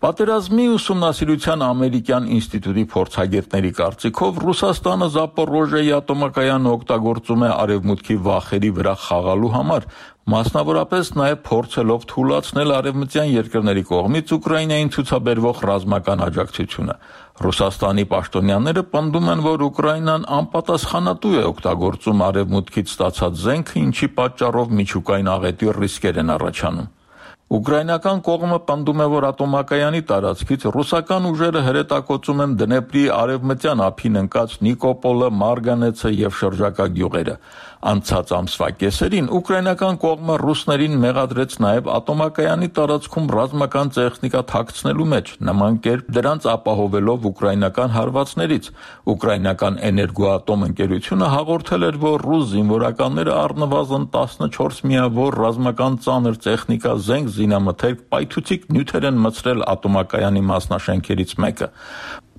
Պատերազմի ուսումնասիրության ամերիկյան ինստիտուտի փորձագետների կարծիքով Ռուսաստանը Զապորոժիայի ատոմակայանը օգտագործում է արևմուտքի վախերի վրա խաղալու համար, մասնավորապես նաև փորձելով թուլացնել արևմտյան երկրների կողմից Ուկրաինային ցուցաբերվող ռազմական աջակցությունը։ Ռուսաստանի պաշտոնյաները պնդում են, որ Ուկրաինան անպատասխանատու է օգտագործում արևմուտքից ստացած զենքը, ինչի պատճառով միջուկային աղետի ռիսկեր են առաջանում։ Ուկրաինական կողմը պնդում է, որ ատոմակայանի տարածքից ռուսական ուժերը հրետակոծում են Դնեպրի արևմտյան ափին ընկած Նիկոպոլը, Մարգանեցը եւ շրջակա գյուղերը։ Անցած ամսվա կեսերին ուկրաինական կողմը ռուսներին մեղադրեց նաև ատոմակայանի տարածքում ռազմական տեխնիկա թաքցնելու մեջ, նման կերպ դրանց ապահովելով ուկրաինական հարվածներից։ Ուկրաինական էներգոատոմ ընկերությունը հաղորդել էր, որ ռուս զինվորականները առնվազն տասնչորս միավոր ռազմական ծանր տեխնիկա, զենք, զինամթերք, պայթուցիկ նյութեր են մտցրել ատոմակայանի մասնաշենքերից մեկը։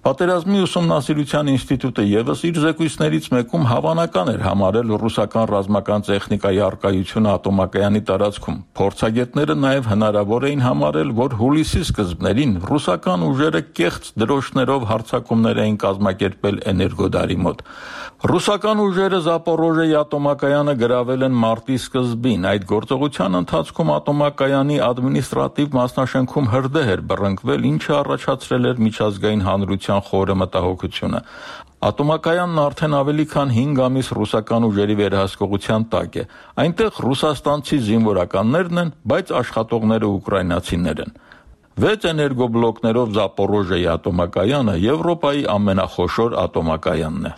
Պատերազմի ուսումնասիրության ինստիտուտը ևս իր զեկույցներից մեկում հավանական էր համարել ռուսական ռազմական տեխնիկայի առկայությունը ատոմակայանի տարածքում։ Փորձագետները նաև հնարավոր էին համարել, որ հուլիսի սկզբներին ռուսական ուժերը կեղծ դրոշներով հարձակումներ էին կազմակերպել էներգոդարի մոտ։ Ռուսական ուժերը Զապորոժիայի ատոմակայանը գրավել են մարտի սկզբին։ Այդ գործողության ընթացքում ատոմակայանի ադմինիստրատիվ մասնաշենքում հրդեհ էր բռնկվել, ինչը առաջացրել էր միջազգային հանրության խորը մտահոգությունը։ Ատոմակայանն արդեն ավելի քան հինգ ամիս ռուսական ուժերի վերահսկողության տակ է։ Այնտեղ ռուսաստանցի զինվորականներն են, բայց աշխատողները ուկրաինացիներ են։ Վեց էներգոբլոկներով Զապորոժիայի ատոմակայանը Եվրոպայի ամենախոշոր ատոմակայանն է։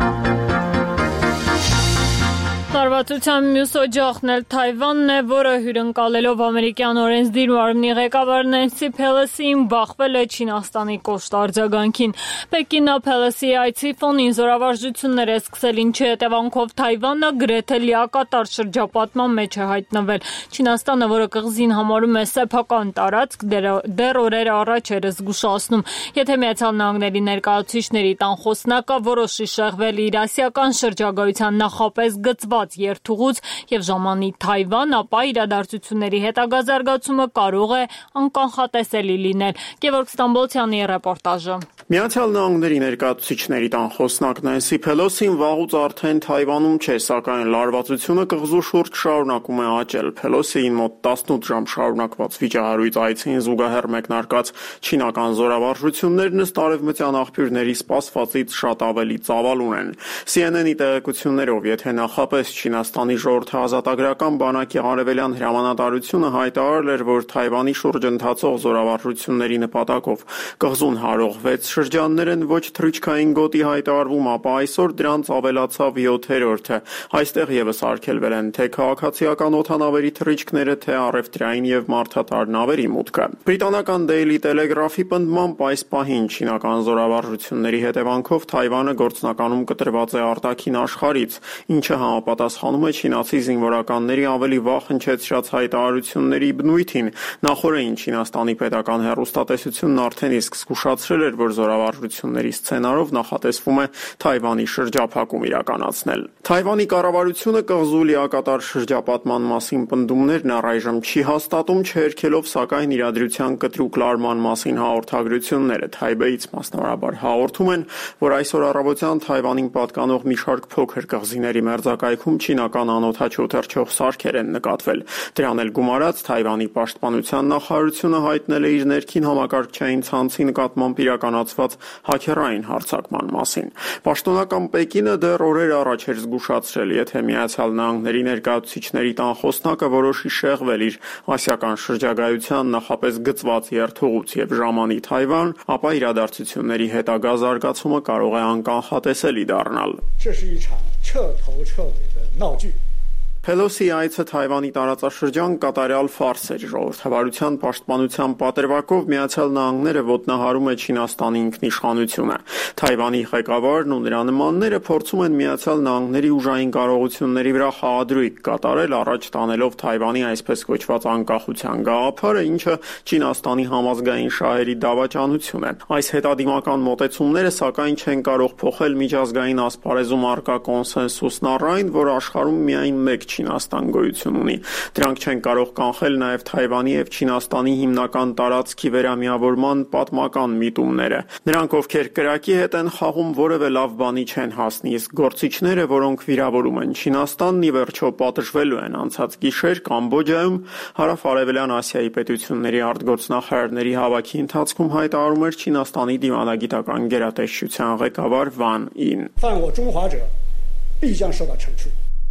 Լարվածության մյուս օջախն էլ Թայվանն է, որը հյուրընկալելով ամերիկյան օրենսդիր մարմնի ղեկավար Նենսի Փելոսիին բախվել է Չինաստանի կոշտ արձագանքին։ Պեկինը Փելոսիի այցի ֆոնին զորավարժություններ է սկսել, ինչի հետևանքով Թայվանը գրեթե լիակատար շրջապատման մեջ է հայտնվել։ Չինաստանը, որը կղզին համարում է սեփական տարածք, դեռ օրեր առաջ էր զգուշացնում, եթե Միացյալ Նահանգների ներկայացուցիչների տան խոսնակը որոշի շեղվել իր ասիական շրջագայության նախապես գծված երթուղուց եւ ժամանի Թայվան, ապա իրադարձությունների հետագա զարգացումը կարող է անկանխատեսելի լինել։ Գևորգ Ստամբոլցյանի ռեպորտաժը։ Միացյալ Նահանգների ներկայացուցիչների տան խոսնակ Նենսի Փելոսին վաղուց արդեն Թայվանում չէ, սակայն լարվածությունը կղզու շուրջ շարունակում է աճել։ Փելոսիին մոտ տասնութ ժամ շարունակված վիճահարույց այցին զուգահեռ մեկնարկած չինական զորավարժություններն ըստ արևմտյան աղբյուրների սպասվածից շատ ավելի ծավալուն են։ C N N-ի տեղեկություններով, եթե նախապես Չինաստանի ժողովրդաազատագրական բանակի արևելյան հրամանատարությունը հայտարարել էր, որ Թայվանի շուրջ ընթացող զորավարժությունների նպատակով կղզուն հարող վեց շրջաններ են ոչ թռիչքային գոտի հայտարարվում, ապա այսօր դրանց ավելացավ յոթերորդը։ Այստեղ ևս արգելվել են թե քաղաքացիական օդանավերի թռիչքները, թե առևտրային եւ մարդատար նավերի մուտքը։ Բրիտանական Daily Telegraph-ի պնդմամբ այս պահին չինական զորավարժությունների հետևանքով Թայվանը գործնականում կտրված է արտաքին աշխարհից, ինչը համապատասխանում է չինացի զինվորականների ավելի վաղ հնչեցրած հայտարարությունների բնույթին։ Նախորդին Չինաստանի պետական հեռուստատեսությունն արդեն իսկ զգուշացրել էր, որ զորավարժությունների սցենարով նախատեսվում է Թայվանի շրջափակում իրականացնել։ Թայվանի կառավարությունը կղզու լիակատար շրջապատման մասին պնդումներն առայժմ չի հաստատում, չհերքելով սակայն իրադրության կտրուկ լարման մասին հաղորդագրությունները։ Թայբեից մասնավորաբար հաղորդում են, որ այսօր առավոտյան Թայվանին պատկանող մի շարք փոքր կղզիների մերձակայքում չինական անօդաչու թռչող սարքեր են նկատվել։ Դրան էլ գումարած Թայվանի պաշտպանության նախարարությունը հայտնել է իր ներքին համակարգչային ցանցի նկատմամբ իրականացված հաքերային հարձակման մասին։ Պաշտոնական Պեկինը դեռ օրեր առաջ էր զգուշացրել, եթե Միացյալ Նահանգների ներկայացուցիչների տան խոսնակը որոշի շեղվել իր ասիական շրջագայության նախապես գծված երթուղուց եւ ժամանի Թայվան, ապա իրադարձությունների հետագա զարգացումը կարող է անկանխատեսելի դառնալ։ Փելոսի այցը Թայվանի տարածաշրջան կատարյալ ֆարս էր։ Ժողովրդավարության պաշտպանության պատրվակով Միացյալ Նահանգները ոտնահարում է Չինաստանի ինքնիշխանությունը։ Թայվանի ղեկավարն ու նրա նմանները փորձում են Միացյալ Նահանգների ուժային կարողությունների վրա խաղադրույք կատարել, առաջ տանելով Թայվանի այսպես կոչված անկախության գաղափարը, ինչը Չինաստանի համազգային շահերի դավաճանություն է։ Այս հետադիմական մոտեցումները սակայն չեն կարող փոխել միջազգային ասպարեզում առկա կոնսենսուսն առ այն, որ աշխարհում միայն մեկ Չինաստան գոյություն ունի։ Դրանք չեն կարող կանխել նաև Թայվանի եւ Չինաստանի հիմնական տարածքի վերամիավորման պատմական միտումները։ Նրանք, ովքեր կրակի հետ են խաղում, որևէ լավ բանի չեն հասնի, իսկ գործիչները, որոնք վիրավորում են Չինաստանն, ի վերջո պատժվելու են։ Անցած գիշեր Կամբոջայում Հարավ-Արևելյան Ասիայի պետությունների արտգործնախարարների հավաքի ընթացքում հայտարարում էր Չինաստանի դիվանագիտական գերատեսչության ղեկավար Վան Ին։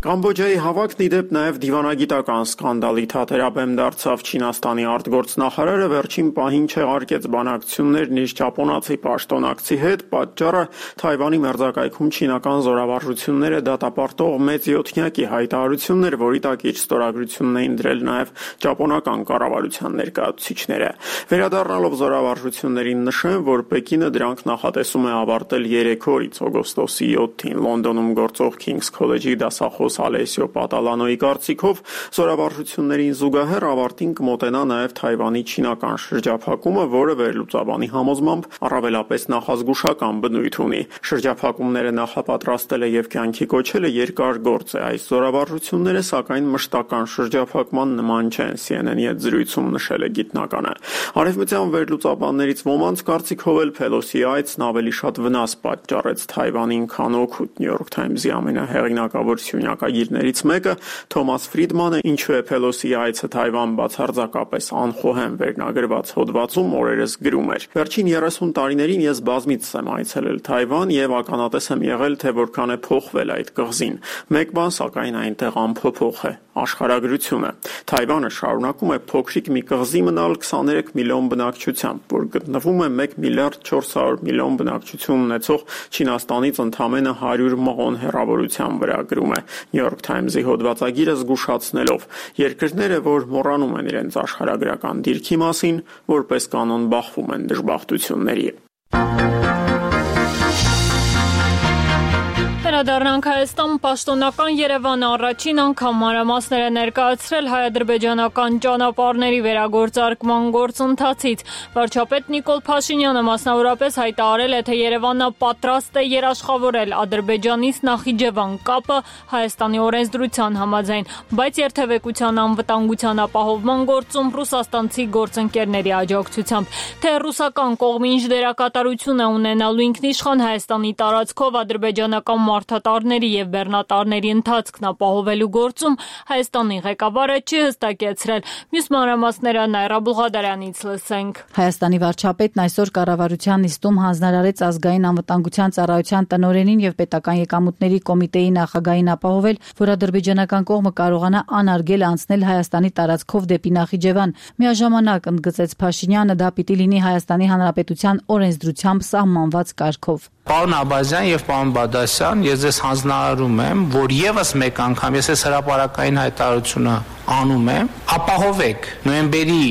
Կամբոջայի հավաքն ի դեպ նաև դիվանագիտական սկանդալի թատերաբեմ դարձավ։ Չինաստանի արտգործնախարարը վերջին պահին չեղարկեց բանակցություններն իր ճապոնացի պաշտոնակցի հետ, պատճառը Թայվանի մերձակայքում չինական զորավարժությունները դատապարտող մեծ յոթնյակի հայտարարությունն էր, որի տակ իր ստորագրությունն էին դրել նաև ճապոնական կառավարության ներկայացուցիչները։ Վերադառնալով զորավարժություններին նշեմ, որ Պեկինը դրանք նախատեսում է ավարտել երեք օրից օգոստոսի յոթին։ Լոնդոնում գործող King's College-ի դասախոս Ալեսիո Պատալանոյի կարծիքով զորավարժություններին զուգահեռ ավարտին կմոտենա նաև Թայվանի չինական շրջափակումը, որը վերլուծաբանի համոզմամբ առավելապես նախազգուշական բնույթ ունի։ Շրջափակումները նախապատրաստելը եւ կյանքի կոչելը երկար գործ է։ Այս զորավարժությունները սակայն մշտական շրջափակման նման չեն, C N N-ի հետ զրույցում նշել է գիտնականը։ Արևմտյան վերլուծաբաններից ոմանց կարծիքով էլ Փելոսի այցն ավելի շատ վնաս պատճառեց Թայվանին, քան օգուտ։ New York Times-ի ամենահեղինակավոր սյունյակագիրներից մեկը Թոմաս Ֆրիդմանը ինչու է Փելոսի այցը Թայվան բացարձակապես անխոհեմ վերնագրված հոդվածում օրերս գրում էր. Վերջին երեսուն տարիներին ես բազմիցս եմ այցելել Թայվան եւ ականատես եմ եղել, թե որքան է փոխվել այդ կղզին։ Մեկ բան սակայն այնտեղ անփոփոխ է՝ աշխարհագրությունը։ Թայվանը շարունակում է փոքրիկ մի կղզի մնալ քսաներեք միլիոն բնակչությամբ, որ գտնվում է մեկ միլիարդ չորս հարյուր միլիոն բնակչություն ունեցող Չինաստանից ընդամենը հարյուր մղոն հեռավորության վրա, գրում է New York Times-ի հոդվածագիրը զգուշացնելով. երկրները, որ մոռանում են իրենց աշխարհագրական դիրքի մասին, որպես կանոն բախվում են դժբախտությունների։ Վերադառնանք Հայաստան, պաշտոնական Երևանը առաջին անգամ մանրամասներ է ներկայացրել հայ-ադրբեջանական ճանապարհների վերագործարկման գործընթացից։ Վարչապետ Նիկոլ Փաշինյանը մասնավորապես հայտարարել է, թե Երևանը պատրաստ է երաշխավորել Ադրբեջանից Նախիջևան կապը Հայաստանի օրենսդրության համաձայն, բայց երթևեկության անվտանգության ապահովման գործում ռուսաստանցի գործընկերների աջակցությամբ։ Թե ռուսական կողմը ինչ դերակատարություն է ունենալու ինքնիշխան Հայաստանի տարածքով ադրբեջանական մարդատարների եւ բեռնատարների ընթացքն ապահովելու գործում Հայաստանի ղեկավարը չի հստակեցրել։ Մյուս մանրամասները Նայրա Բուղադարյանից լսենք։ Հայաստանի վարչապետն այսօր կառավարության նիստում հանձնարարեց ազգային անվտանգության ծառայության տնօրենին եւ պետական եկամուտների կոմիտեի նախագահին ապահովել, որ ադրբեջանական կողմը կարողանա անարգել անցնել Հայաստանի տարածքով դեպի Նախիջևան։ Միաժամանակ ընդգծեց Փաշինյանը, դա պիտի լինի Հայաստանի Հանրապետության օրենսդրությամբ սահմանված կարգով։ Պարոն Աբազյան եւ պարոն Բադասյան, ես ձեզ հանձնարարում եմ, որ եւս մեկ անգամ ես այս հրապարակային հայտարարությունը անում եմ, ապահովեք նոյեմբերի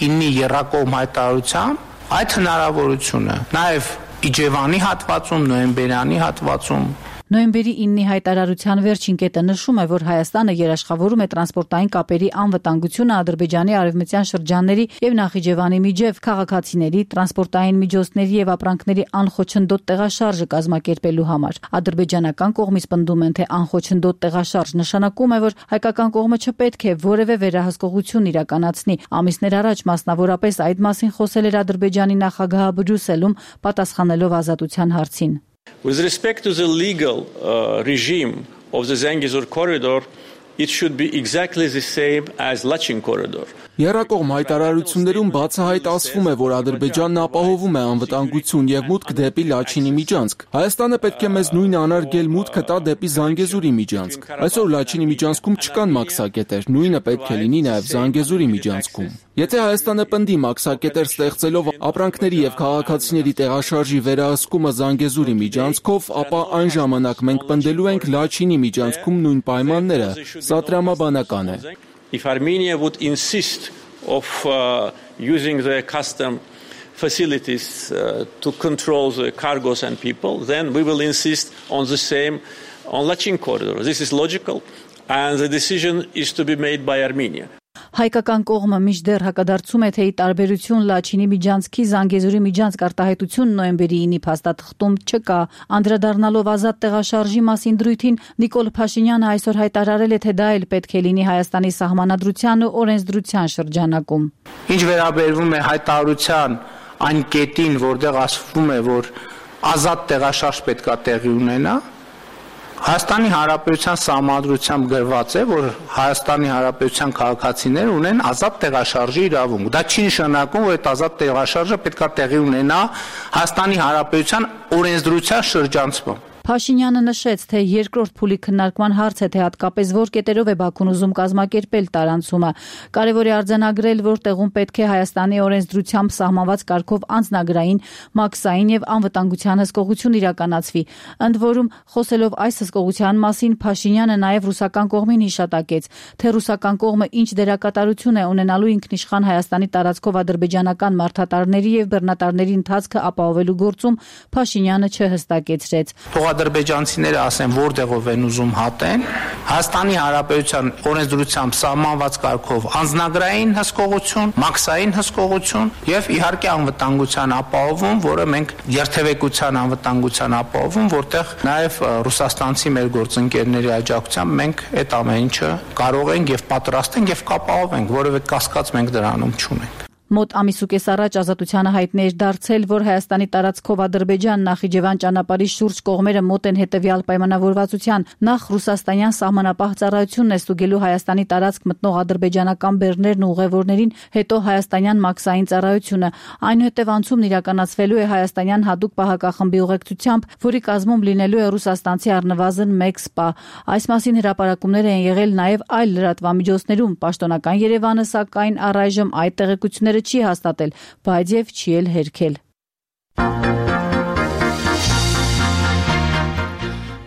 ինի եռակողմ հայտարարությամբ այդ հնարավորությունը, նաեւ Իջևանի հատվածում, նոյեմբերյանի հատվածում։ Նոյեմբերի ինի հայտարարության վերջին կետը նշում է, որ Հայաստանը երաշխավորում է տրանսպորտային կապերի անվտանգությունը Ադրբեջանի արևմտյան շրջանների եւ Նախիջևանի միջև, քաղաքացիների, տրանսպորտային միջոցների եւ ապրանքների անխոչնդոտ տեղաշարժը կազմակերպելու համար։ Ադրբեջանական կողմից պնդում են, թե անխոչնդոտ տեղաշարժ նշանակում է, որ հայկական կողմը չպետք է որևէ վերահսկողություն իրականացնի։ Ամիսներ առաջ մասնավորապես այդ մասին խոսել էր Ադրբեջանի նախագահը Բրյուսելում, պատասխանելով ազատության հարցին։ With respect to the legal uh, regime of the Zangezur corridor, it should be exactly the same as Lachin corridor. Եռակողմ հայտարարություններում բացահայտ ասվում է, որ Ադրբեջանն ապահովում է անվտանգություն եւ մուտք դեպի Լաչինի միջանցք։ Հայաստանը պետք է մեզ նույնը անարգել մուտքը տա դեպի Զանգեզուրի միջանցք։ Այսօր Լաչինի միջանցքում չկան մաքսակետեր, նույնը պետք է լինի նաեւ Զանգեզուրի միջանցքում։ Եթե Հայաստանը պնդի մաքսակետեր ստեղծելով ապրանքների եւ քաղաքացիների տեղաշարժի վերահսկումը Զանգեզուրի միջանցքով, ապա այն ժամանակ մենք պնդելու ենք Լաչինի միջանցքում նույն պայմանները։ Սա տրամաբանական է։ If Armenia would insist of uh, using the custom facilities uh, to control the cargoes and people, then we will insist on the same on Lachin corridor. This is logical, and the decision is to be made by Armenia. Հայկական կողմը մինչդեռ հակադարձում է, թե ի տարբերություն Լաչինի միջանցքի Զանգեզուրի միջանցք արտահայտություն նոյեմբերի ինի փաստաթղթում չկա։ Անդրադառնալով ազատ տեղաշարժի մասին դրույթին, Նիկոլ Փաշինյանը այսօր հայտարարել է, թե դա էլ պետք է լինի Հայաստանի սահմանադրության ու օրենսդրության շրջանակում։ Ինչ վերաբերվում է հայտարարության այն կետին, որտեղ ասվում է, որ ազատ տեղաշարժ պետք է տեղի ունենա, Հայաստանի Հանրապետության սահմանադրությամբ գրված է, որ Հայաստանի Հանրապետության քաղաքացիները ունեն ազատ տեղաշարժի իրավունք։ Դա չի նշանակում, որ այդ ազատ տեղաշարժը պետք է տեղի ունենա Հայաստանի Հանրապետության օրենսդրության շրջանցում։ Փաշինյանը նշեց, թե երկրորդ փուլի քննարկման հարց է, թե հատկապես որ կետերով է Բաքուն ուզում կազմակերպել տարանցումը։ Կարևոր է արձանագրել, որ տեղում պետք է Հայաստանի օրենսդրությամբ սահմանված կարգով անձնագրային, մաքսային եւ անվտանգության հսկողություն իրականացվի։ Ընդ որում, խոսելով այս հսկողության մասին, Փաշինյանը նաեւ ռուսական կողմին հիշատակեց, թե ռուսական կողմը ինչ դերակատարություն է ունենալու ինքնիշխան Հայաստանի տարածքով ադրբեջանական մարդատարների եւ բռնատարների ընթացքը ապահովելու գործում, Փաշինյանը չհստակեցրեց։ Ադրբեջանցիները ասեն, որտեղով են ուզում հատեն, Հայաստանի Հանրապետության օրենսդրությամբ սահմանված կարգով անձնագրային հսկողություն, մաքսային հսկողություն եւ իհարկե անվտանգության ապահովում, որը մենք երթևեկության անվտանգության ապահովում, որտեղ նաեւ ռուսաստանցի մեր գործընկերների աջակցությամբ մենք այդ ամեն ինչը կարող ենք եւ պատրաստ ենք եւ կապահովենք, որովհետեւ կասկած մենք դրանում չունենք։ Մոտ ամիս ու կես առաջ Ազատությանը հայտնի էր դարձել, որ Հայաստանի տարածքով Ադրբեջան Նախիջևան ճանապարհի շուրջ կողմերը մոտ են հետևյալ պայմանավորվածության. նախ ռուսաստանյան սահմանապահ ծառայությունն է ստուգելու Հայաստանի տարածք մտնող ադրբեջանական բեռներն ու ուղևորներին, հետո հայաստանյան մաքսային ծառայությունը, այնուհետև անցումն իրականացվելու է հայաստանյան հատուկ պահակախմբի ուղեկցությամբ, որի կազմում լինելու է ռուսաստանցի առնվազն մեկ սպա։ Այս մասին հրապարակումներ են եղել նաև այլ լրատվամիջոցներում։ Պաշտոնական Երևանը, սակայն, առայժմ այդ տեղեկությունները չի հաստատել, բայց եւ չի էլ հերքել։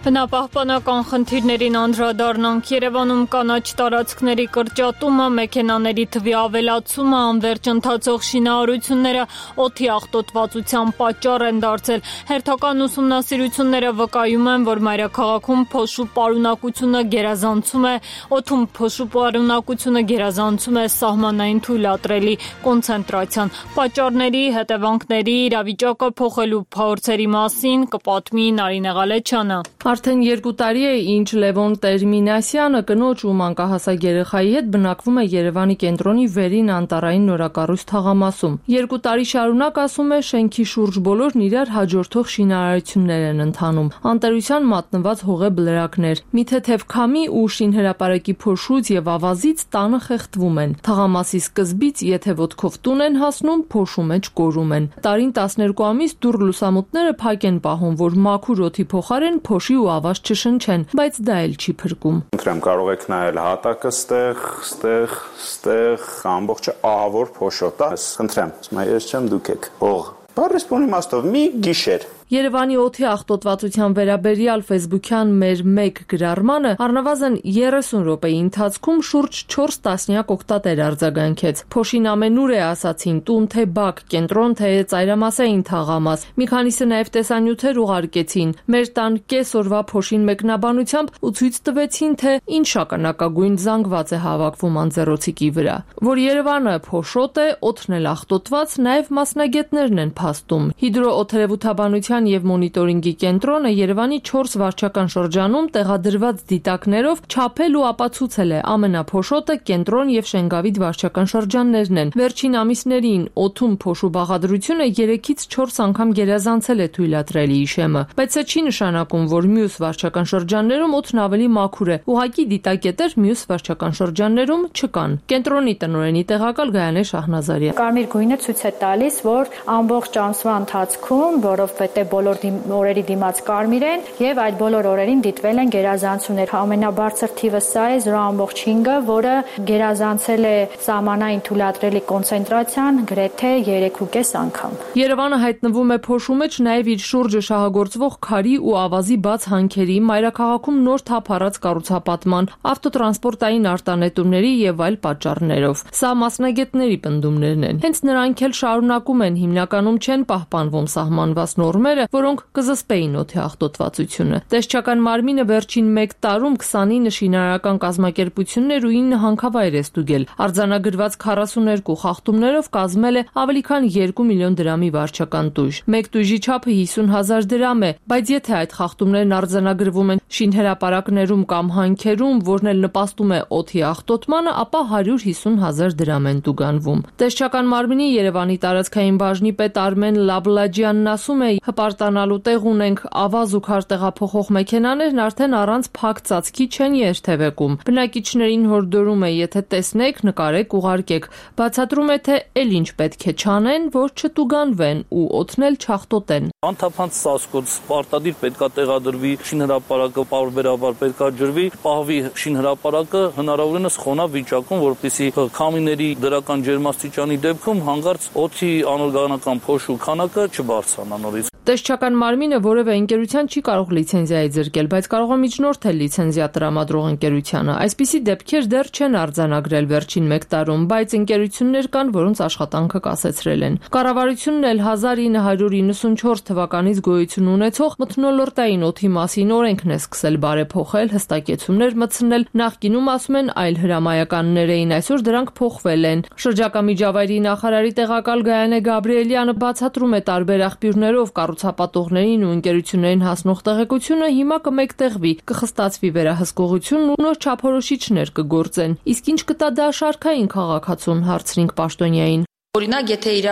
Բնապահպանական խնդիրներին անդրադառնանք։ Երևանում կանաչ տարածքների կրճատումը, մեքենաների թվի ավելացումը, անվերջ ընթացող շինարարությունները օդի աղտոտվածության պատճառ են դարձել։ Հերթական ուսումնասիրությունները վկայում են, որ մայրաքաղաքում փոշու պարունակությունը գերազանցում է, օդում փոշու պարունակությունը գերազանցում է սահմանային թույլատրելի կոնցենտրացիան։ Պատճառների, հետևանքների, իրավիճակը փոխելու փորձերի մասին կպատմի Նարինե Ղալեչյանը։ Արդեն երկու տարի է, ինչ Լևոն Տերմինասյանը կնոջ ու մանկահասակ երեխայի հետ բնակվում է Երևանի կենտրոնի վերին անտառային նորակառույց թաղամասում։ Երկու տարի շարունակ, ասում է, շենքի շուրջ բոլորն իրար հաջորդող շինարարություններ են ընթանում։ Անտերության մատնված հողե բլրակներ, մի թեթև քամի ու շինհրապարակի փոշուց եւ ավազից տանը խեղդվում են։ Թաղամասի սկզբից, եթե ոտքով տուն են հասնում, փոշու մեջ կորում են։ Տարին տասներկու ամիս դուռ լուսամուտները փակ են պահում, որ մաքուր օդի փոխարեն փոշի ու ավազ չշնչեն, բայց դա էլ չի փրկում։ Խնդրեմ, կարող եք նայել հատակը, ստեղ, ստեղ, ստեղ, ամբողջը ահավոր փոշոտ է։ Խնդրեմ, ես չեմ դուք եք։ Հող։ Բարեսպոնի մաստով մի գիշեր Երևանի օդի աղտոտվածության վերաբերյալ ֆեյսբուքյան մեր մեկ գրառմանը առնվազն երեսուն րոպեի ընթացքում շուրջ չորս տասնյակ օգտատեր արձագանքեց։ Փոշին ամենուր է, ասացին, տուն թե բակ, կենտրոն թե ծայրամասային թաղամաս։ Մի քանիսը նաև տեսանյութեր ուղարկեցին մեր տան կես օրվա փոշին մեկնաբանությամբ ու ցույց տվեցին, թե ինչ շագանակագույն զանգված է հավաքվում անձեռոցիկի վրա։ Որ Երևանը փոշոտ է, օդն էլ աղտոտված, նաև մասնագետներն են փաստում։ Հիդրոօթերևութաբանության եւ մոնիտորինգի կենտրոնը Երևանի չորս վարչական շրջանում տեղադրված դիտակներով չափել ու ապացուցել է ամենափոշոտը կենտրոն եւ Շենգավիթ վարչական շրջաններն են։ Վերջին ամիսներին օդում փոշու բաղադրությունը երեքից չորս անգամ գերազանցել է թույլատրելի իշեմը, բայց սա չի նշանակում, որ մյուս վարչական շրջաններում օդն ավելի մաքուր է։ Ուղղակի դիտակետեր մյուս վարչական շրջաններում չկան։ Կենտրոնի տնօրենի տեղակալ Գայանե Շահնազարյան։ Կարմիր գույնը ցույց է տալիս, որ ամբողջ ամսվա ընթացքում, որովհետեւ թե բոլոր օրերի դիմաց կարմիր են եւ այդ բոլոր օրերին դիտվել են գերազանցումներ։ Ամենաբարձր թիվը սա է զրո ամբողջ հինգը, որը գերազանցել է սահմանային թույլատրելի կոնցենտրացիան գրեթե երեք ու կես անգամ։ Երևանը հայտնվում է փոշու մեջ նաեւ իր շուրջը շահագործվող քարի ու ավազի բաց հանքերի, մայրաքաղաքում նոր թափ առած կառուցապատման, ավտոտրանսպորտային արտանետումների եւ այլ պատճառներով։ Սա մասնագետների պնդումներն են։ Հենց նրանք էլ շարունակում են, հիմնականում չեն պահպանվում սահմանված նորմերը, որոնք կզսպեին օդի աղտոտվածությունը։ Տեսչական մարմինը վերջին մեկ տարում քսանինը շինարարական կազմակերպություններ ու ինը հանքավայր է ստուգել։ Արձանագրված քառասուներկու խախտումներով կազմել է ավելի քան երկու միլիոն դրամի վարչական տույժ։ Մեկ տույժի չափը հիսուն հազար դրամ է, բայց եթե այդ խախտումներն արձանագրվում են շինհրապարակներում կամ հանքերում, որն էլ նպաստում է օդի աղտոտմանը, ապա հարյուր հիսուն հազար դրամ են տուգանվում։ Տեսչական մարմինի Երևանի տարածքային բաժնի պետ Արմեն Լաբլաջյանն ասում է, հպարտանալու տեղ ունենք, ավազ ու քար տեղափոխող մեքենաներն արդեն առանց փակ ծածկի չեն երթևեկում։ Բնակիչներին հորդորում է, եթե տեսնեք, նկարեք, ուղարկեք։ Բացատրում է, թե էլ ինչ պետք է չանեն, որ չտուգանվեն ու օդնել չաղտոտեն։ Անթափանց ծածկոց պարտադիր պետքա տեղադրվի, շինհրապարակը պարբերաբար պետքա ջրվի, պահվի շինհրապարակը հնարավորինս խոնավ վիճակում, որպեսզի քամիների դրական ջերմաստիճանի դեպքում հանգարց օդի անօրգանական փոշու քանակը չբարձրանա նորից։ Տեսչական մարմինը որևէ ընկերության չի կարող լիցենզիայի զրկել, բայց կարող է միջնորդել լիցենզիա տրամադրող ընկերությանը։ Այսպիսի դեպքեր դեռ չեն արձանագրել վերջին մեկ տարում, բայց ընկերություններ կան, որոնց աշխատանքը կասեցրել են։ Կառավարությունն էլ հազար ինը հարյուր իննսունչորս թվականից գոյություն ունեցող մթնոլորտային օդի մասին օրենքն է սկսել բարեփոխել, հստակեցումներ մտցնել։ Նախկինում ասում են այլ հրամայականներ էին, այսօր դրանք փոխվել են։ Շրջակա միջավայրի նախարարի տեղակալ Գայանե Գաբրիելյանը բացատրում է տարբեր աղբյուրներով կառուցապատողներին ու ընկերություններին հասնող տեղեկությունը հիմա կմեկտեղվի, կխստացվի վերահսկողությունն ու նոր չափորոշիչներ կգործեն։ Իսկ ինչ կտա դա շարքային քաղաքացուն, հարցրինք պաշտոնյային։ Օրինակ, եթե իր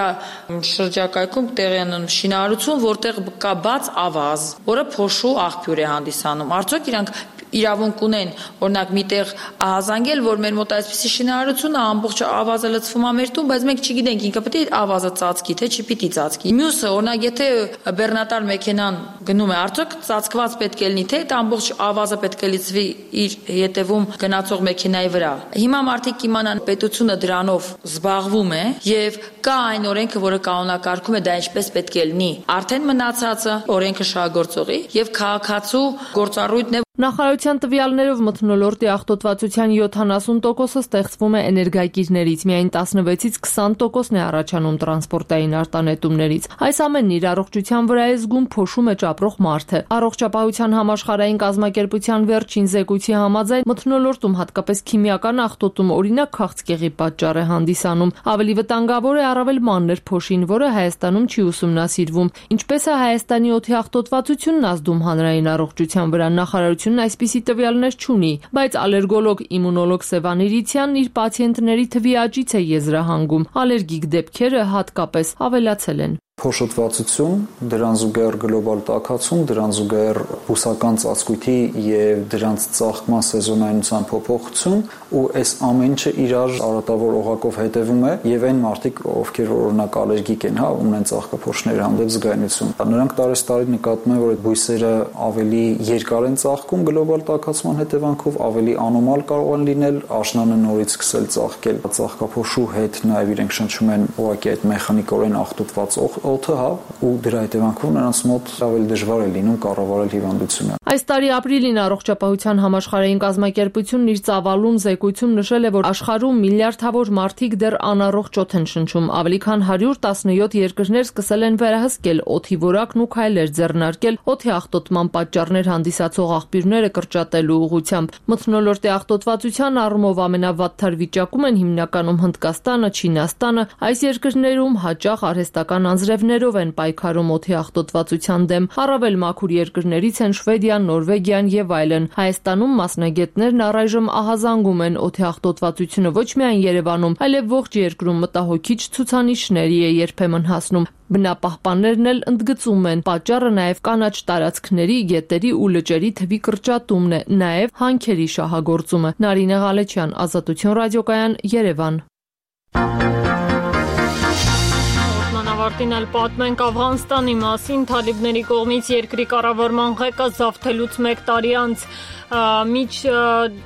շրջակայքում տեղի ունեն շինարարություն, որտեղ կա բաց ավազ, որը փոշու աղբյուր է հանդիսանում, արդյոք իրանք իրավունք ունեն, օրինակ միտեղ ահազանգել, որ մեր մոտ այսպիսի շինարարությունն է, ամբողջ ավազը լցվում է մեր տուն, բայց մենք չգիտենք ինքը պետք է ավազը ծածկի, թե չպիտի ծածկի։ Մյուսը, օրինակ, եթե բեռնատար մեքենան գնում է, արդյոք ծածկված պետք է լինի, թե այդ ամբողջ ավազը պետք է լցվի իր հետևում գնացող մեքենայի վրա։ Հիմա մարդիկ իմանան, պետությունը դրանով զբաղվում է եւ կա այն օրենքը, որը կանոնակարգում է դա ինչպես պետք է լինի։ Արդեն մնացածը օրենքը շահագործողի եւ քաղաքացու գործառույթն է։ Նախարարության տվյալներով մթնոլորտի աղտոտվածության յոթանասուն տոկոսը ստեղծվում է էներգակիրներից, միայն տասնվեցից քսան տոկոսն է առաջանում տրանսպորտային արտանետումներից։ Այս ամենն իր առողջության վրա է զգում փոշու մեջ ապրող մարդը։ Առողջապահության համաշխարհային կազմակերպության վերջին զեկույցի համաձայն մթնոլորտում հատկապես քիմիական աղտոտում օրինակ քաղցկեղի պատճառ է հանդիսանում։ Ավելի վտանգավոր է առավել մանր փոշին, որը Հայաստանում չի ուսումնասիրվում։ Ինչպես է Հայաստանի օդի աղտոտվածությունն ազդում հանրային առողջության վրա, նախարարությունը այսպիսի տվյալներ չունի, բայց ալերգոլոգ իմունոլոգ Սևան Իրիցյանն իր պացիենտների թվի աճից է եզրահանգում։ Ալերգիկ դեպքերը հատկապես ավելացել են։ Փոշոտվածություն, դրան զուգահեռ գլոբալ տաքացում, դրան զուգահեռ բուսական ծածկույթի եւ դրանց ծաղկման սեզոնայնության փոփոխություն ու այս ամեն ինչը իրար արատավոր օղակով հետևում է եւ այն մարդիկ, ովքեր օրինակ ալերգիկ են, հա, ունեն ծաղկափոշների հանդեպ զգայունություն։ Նրանք տարեստարի նկատում են, որ այդ բույսերը ավելի երկար են ծաղկում գլոբալ տաքացման հետևանքով, ավելի անոմալ կարող են լինել, աշնանը նորից սկսել ծաղկել ծաղկափոշու հետ, նաեւ իրենք շնչում են ուղղակի այդ մեխանիկորեն աղտոտված օդը, հա, ու դրա հետևանքով նրանց մոտ ավելի դժվար է լինում կառավարել հիվանդությունը։ Այս տարի ապրիլին առողջապահության համաշխարհային կազմակերպությունն իր ծավալուն զեկույցում նշել է, որ աշխարհում միլիարդավոր մարդիկ դեռ անառողջ օդ են շնչում, ավելի քան հարյուր տասնյոթ երկրներ սկսել են վերահսկել օդի որակն ու քայլեր ձեռնարկել օդի աղտոտման պատճառներ հանդիսացող աղբյուրները կրճատելու ուղղությամբ։ Մթնոլորտի աղտոտվածության առումով ամենավատթար վիճակում են հիմնականում Հնդկաստանը, Չինաստանը, այս երկրներում հաճախ արհեստական անձրևներով են պայքարում օդի աղտոտվածության դեմ։ Առավել մաքուր երկրներից են Շվեդիան, Նորվեգիան եւ այլն։ Հայաստանում մասնագետներն առայժմ ահազանգում են օդի աղտոտվածությունը ոչ միայն Երևանում, այլև ողջ երկրում մտահոգիչ ցուցանիշների է երբեմն հասնում։ Բնապահպաններն էլ ընդգծում են, պատճառը նաև կանաչ տարածքների, գետերի ու լճերի թվի կրճատումն է, նաև հանքերի շահագործումը։ Նարինե Ղալեչյան, Ազատություն ռադիոկայան, Երևան։ ավարտին էլ պատմենք Աֆղանստանի մասին։ Թալիբների կողմից երկրի կառավարման ղեկը զավթելուց մեկ տարի անց միջ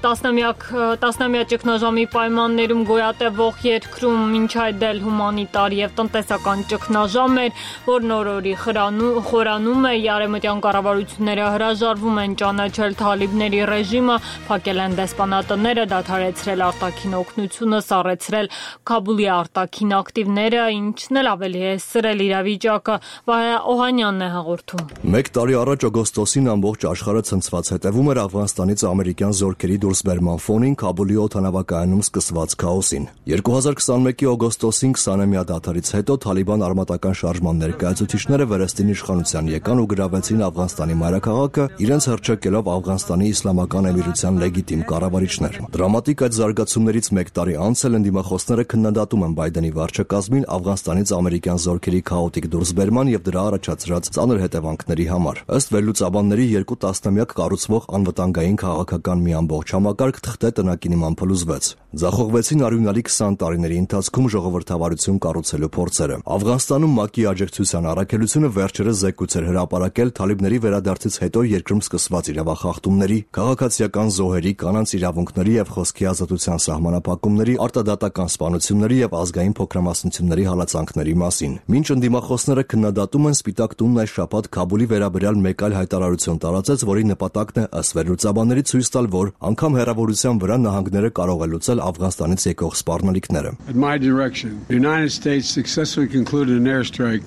տասնամյակ տասնամյա ճգնաժամի պայմաններում գոյատևող երկրում մինչ այդ էլ հումանիտար եւ տնտեսական ճգնաժամ էր, որ նոր-օրի խորանում է, արևմտյան կառավարությունները հրաժարվում են ճանաչել թալիբների ռեժիմը, փակել են դեսպանատները, դադարեցրել արտաքին օգնությունը, սառեցրել Քաբուլի արտաքին ակտիվները, ինչն էլ ավելի է սրել իրավիճակը։ Վահե Օհանյանն է հաղորդում։ Մեկ տարի առաջ օգոստոսին ամբողջ աշխարհը ցնցված հետևում էր Աֆղանստանից ամերիկյան զորքերի դուրսբերման ֆոնին Քաբուլի օդանավակայանում սկսված քաոսին։ երկու հազար քսանմեկի օգոստոսին քսանամյա դադարից հետո Թալիբան արմատական շարժման ներկայացուցիչները Վերեստին իշխանության եկան ու գրավեցին Աֆղանստանի մայրաքաղաքը, իրենց հռչակելով Աֆղանստանի իսլամական էմիրության լեգիտիմ կառավարիչներ։ Դրամատիկ այդ զարգացումներից մեկ տարի անց էլ ընդդիմախոսները քննադատում են Բայդենի վարչակազմին Աֆղանստանից ամերիկյան զորքերի քաոտիկ դուրսբերման եւ դրա առաջացրած ծանր հետևանքների համար։ Ըստ վերլուծաբանների երկու տասնամյակ կառուցվող անվտանգային քաղաքական մի ամբողջ համակարգ թղթե տնակի նման փլուզվեց։ Ձախողվեցին արյունալի քսան տարիների ընթացքում ժողովրդավարություն կառուցելու փորձերը։ Աֆղանստանում ՄԱԿ-ի աջակցության առաքելությունը վերջերս զեկույց էր հրապարակել Թալիբների վերադարձից հետո երկրում սկսված իրավախախտումների, քաղաքացիական զոհերի, կանանց իրավունքների եւ խոսքի ազատության սահմանափակումների, արտադատական սպանությունների եւ ազգային փոքրամասնությունների հալածանքների մասին։ Մինչ ընդդիմախոսները քննադատում են, Սպիտակ տունն այս շաբաթ Քաբուլի վերաբերյալ մեկ այլ հայտարարություն տարածեց, որի նպատակն է ըստ վերլուծաբանների ցույց տալ, որ անգամ հեռավորության վրա նահանգները կարող է լուծել Աֆղանստանից եկող սպառնալիքները։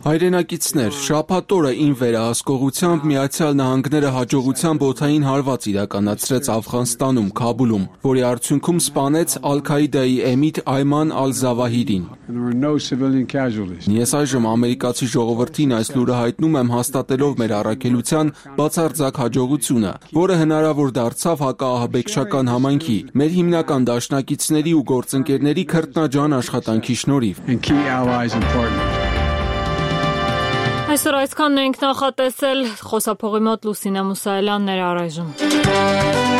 Հայրենակիցներ, շաբաթ օրը ին վերահսկողությամբ Միացյալ Նահանգները հաջողությամբ օդային հարված իրականացրեց Աֆղանստանում, Քաբուլում, որի արդյունքում սպանեց Ալ-Քաիդայի էմիտ Այման Ալ-Զավահիրին։ Ես այժմ ամերիկացի ժողովրդին այս լուրը հայտնում եմ հաստատելով մեր առաքելության բացարձակ հաջողությունը, որը հնարավոր դարձավ հակաահաբեկչական համայնքի, մեր հիմնական դաշնակիցների ու գործընկերների քրտնաջան աշխատանքի շնորհիվ։ Այսօր այսքանն ենք նախատեսել, խոսափողի մոտ Լուսինե Մուսայելյանն էր առայժմ։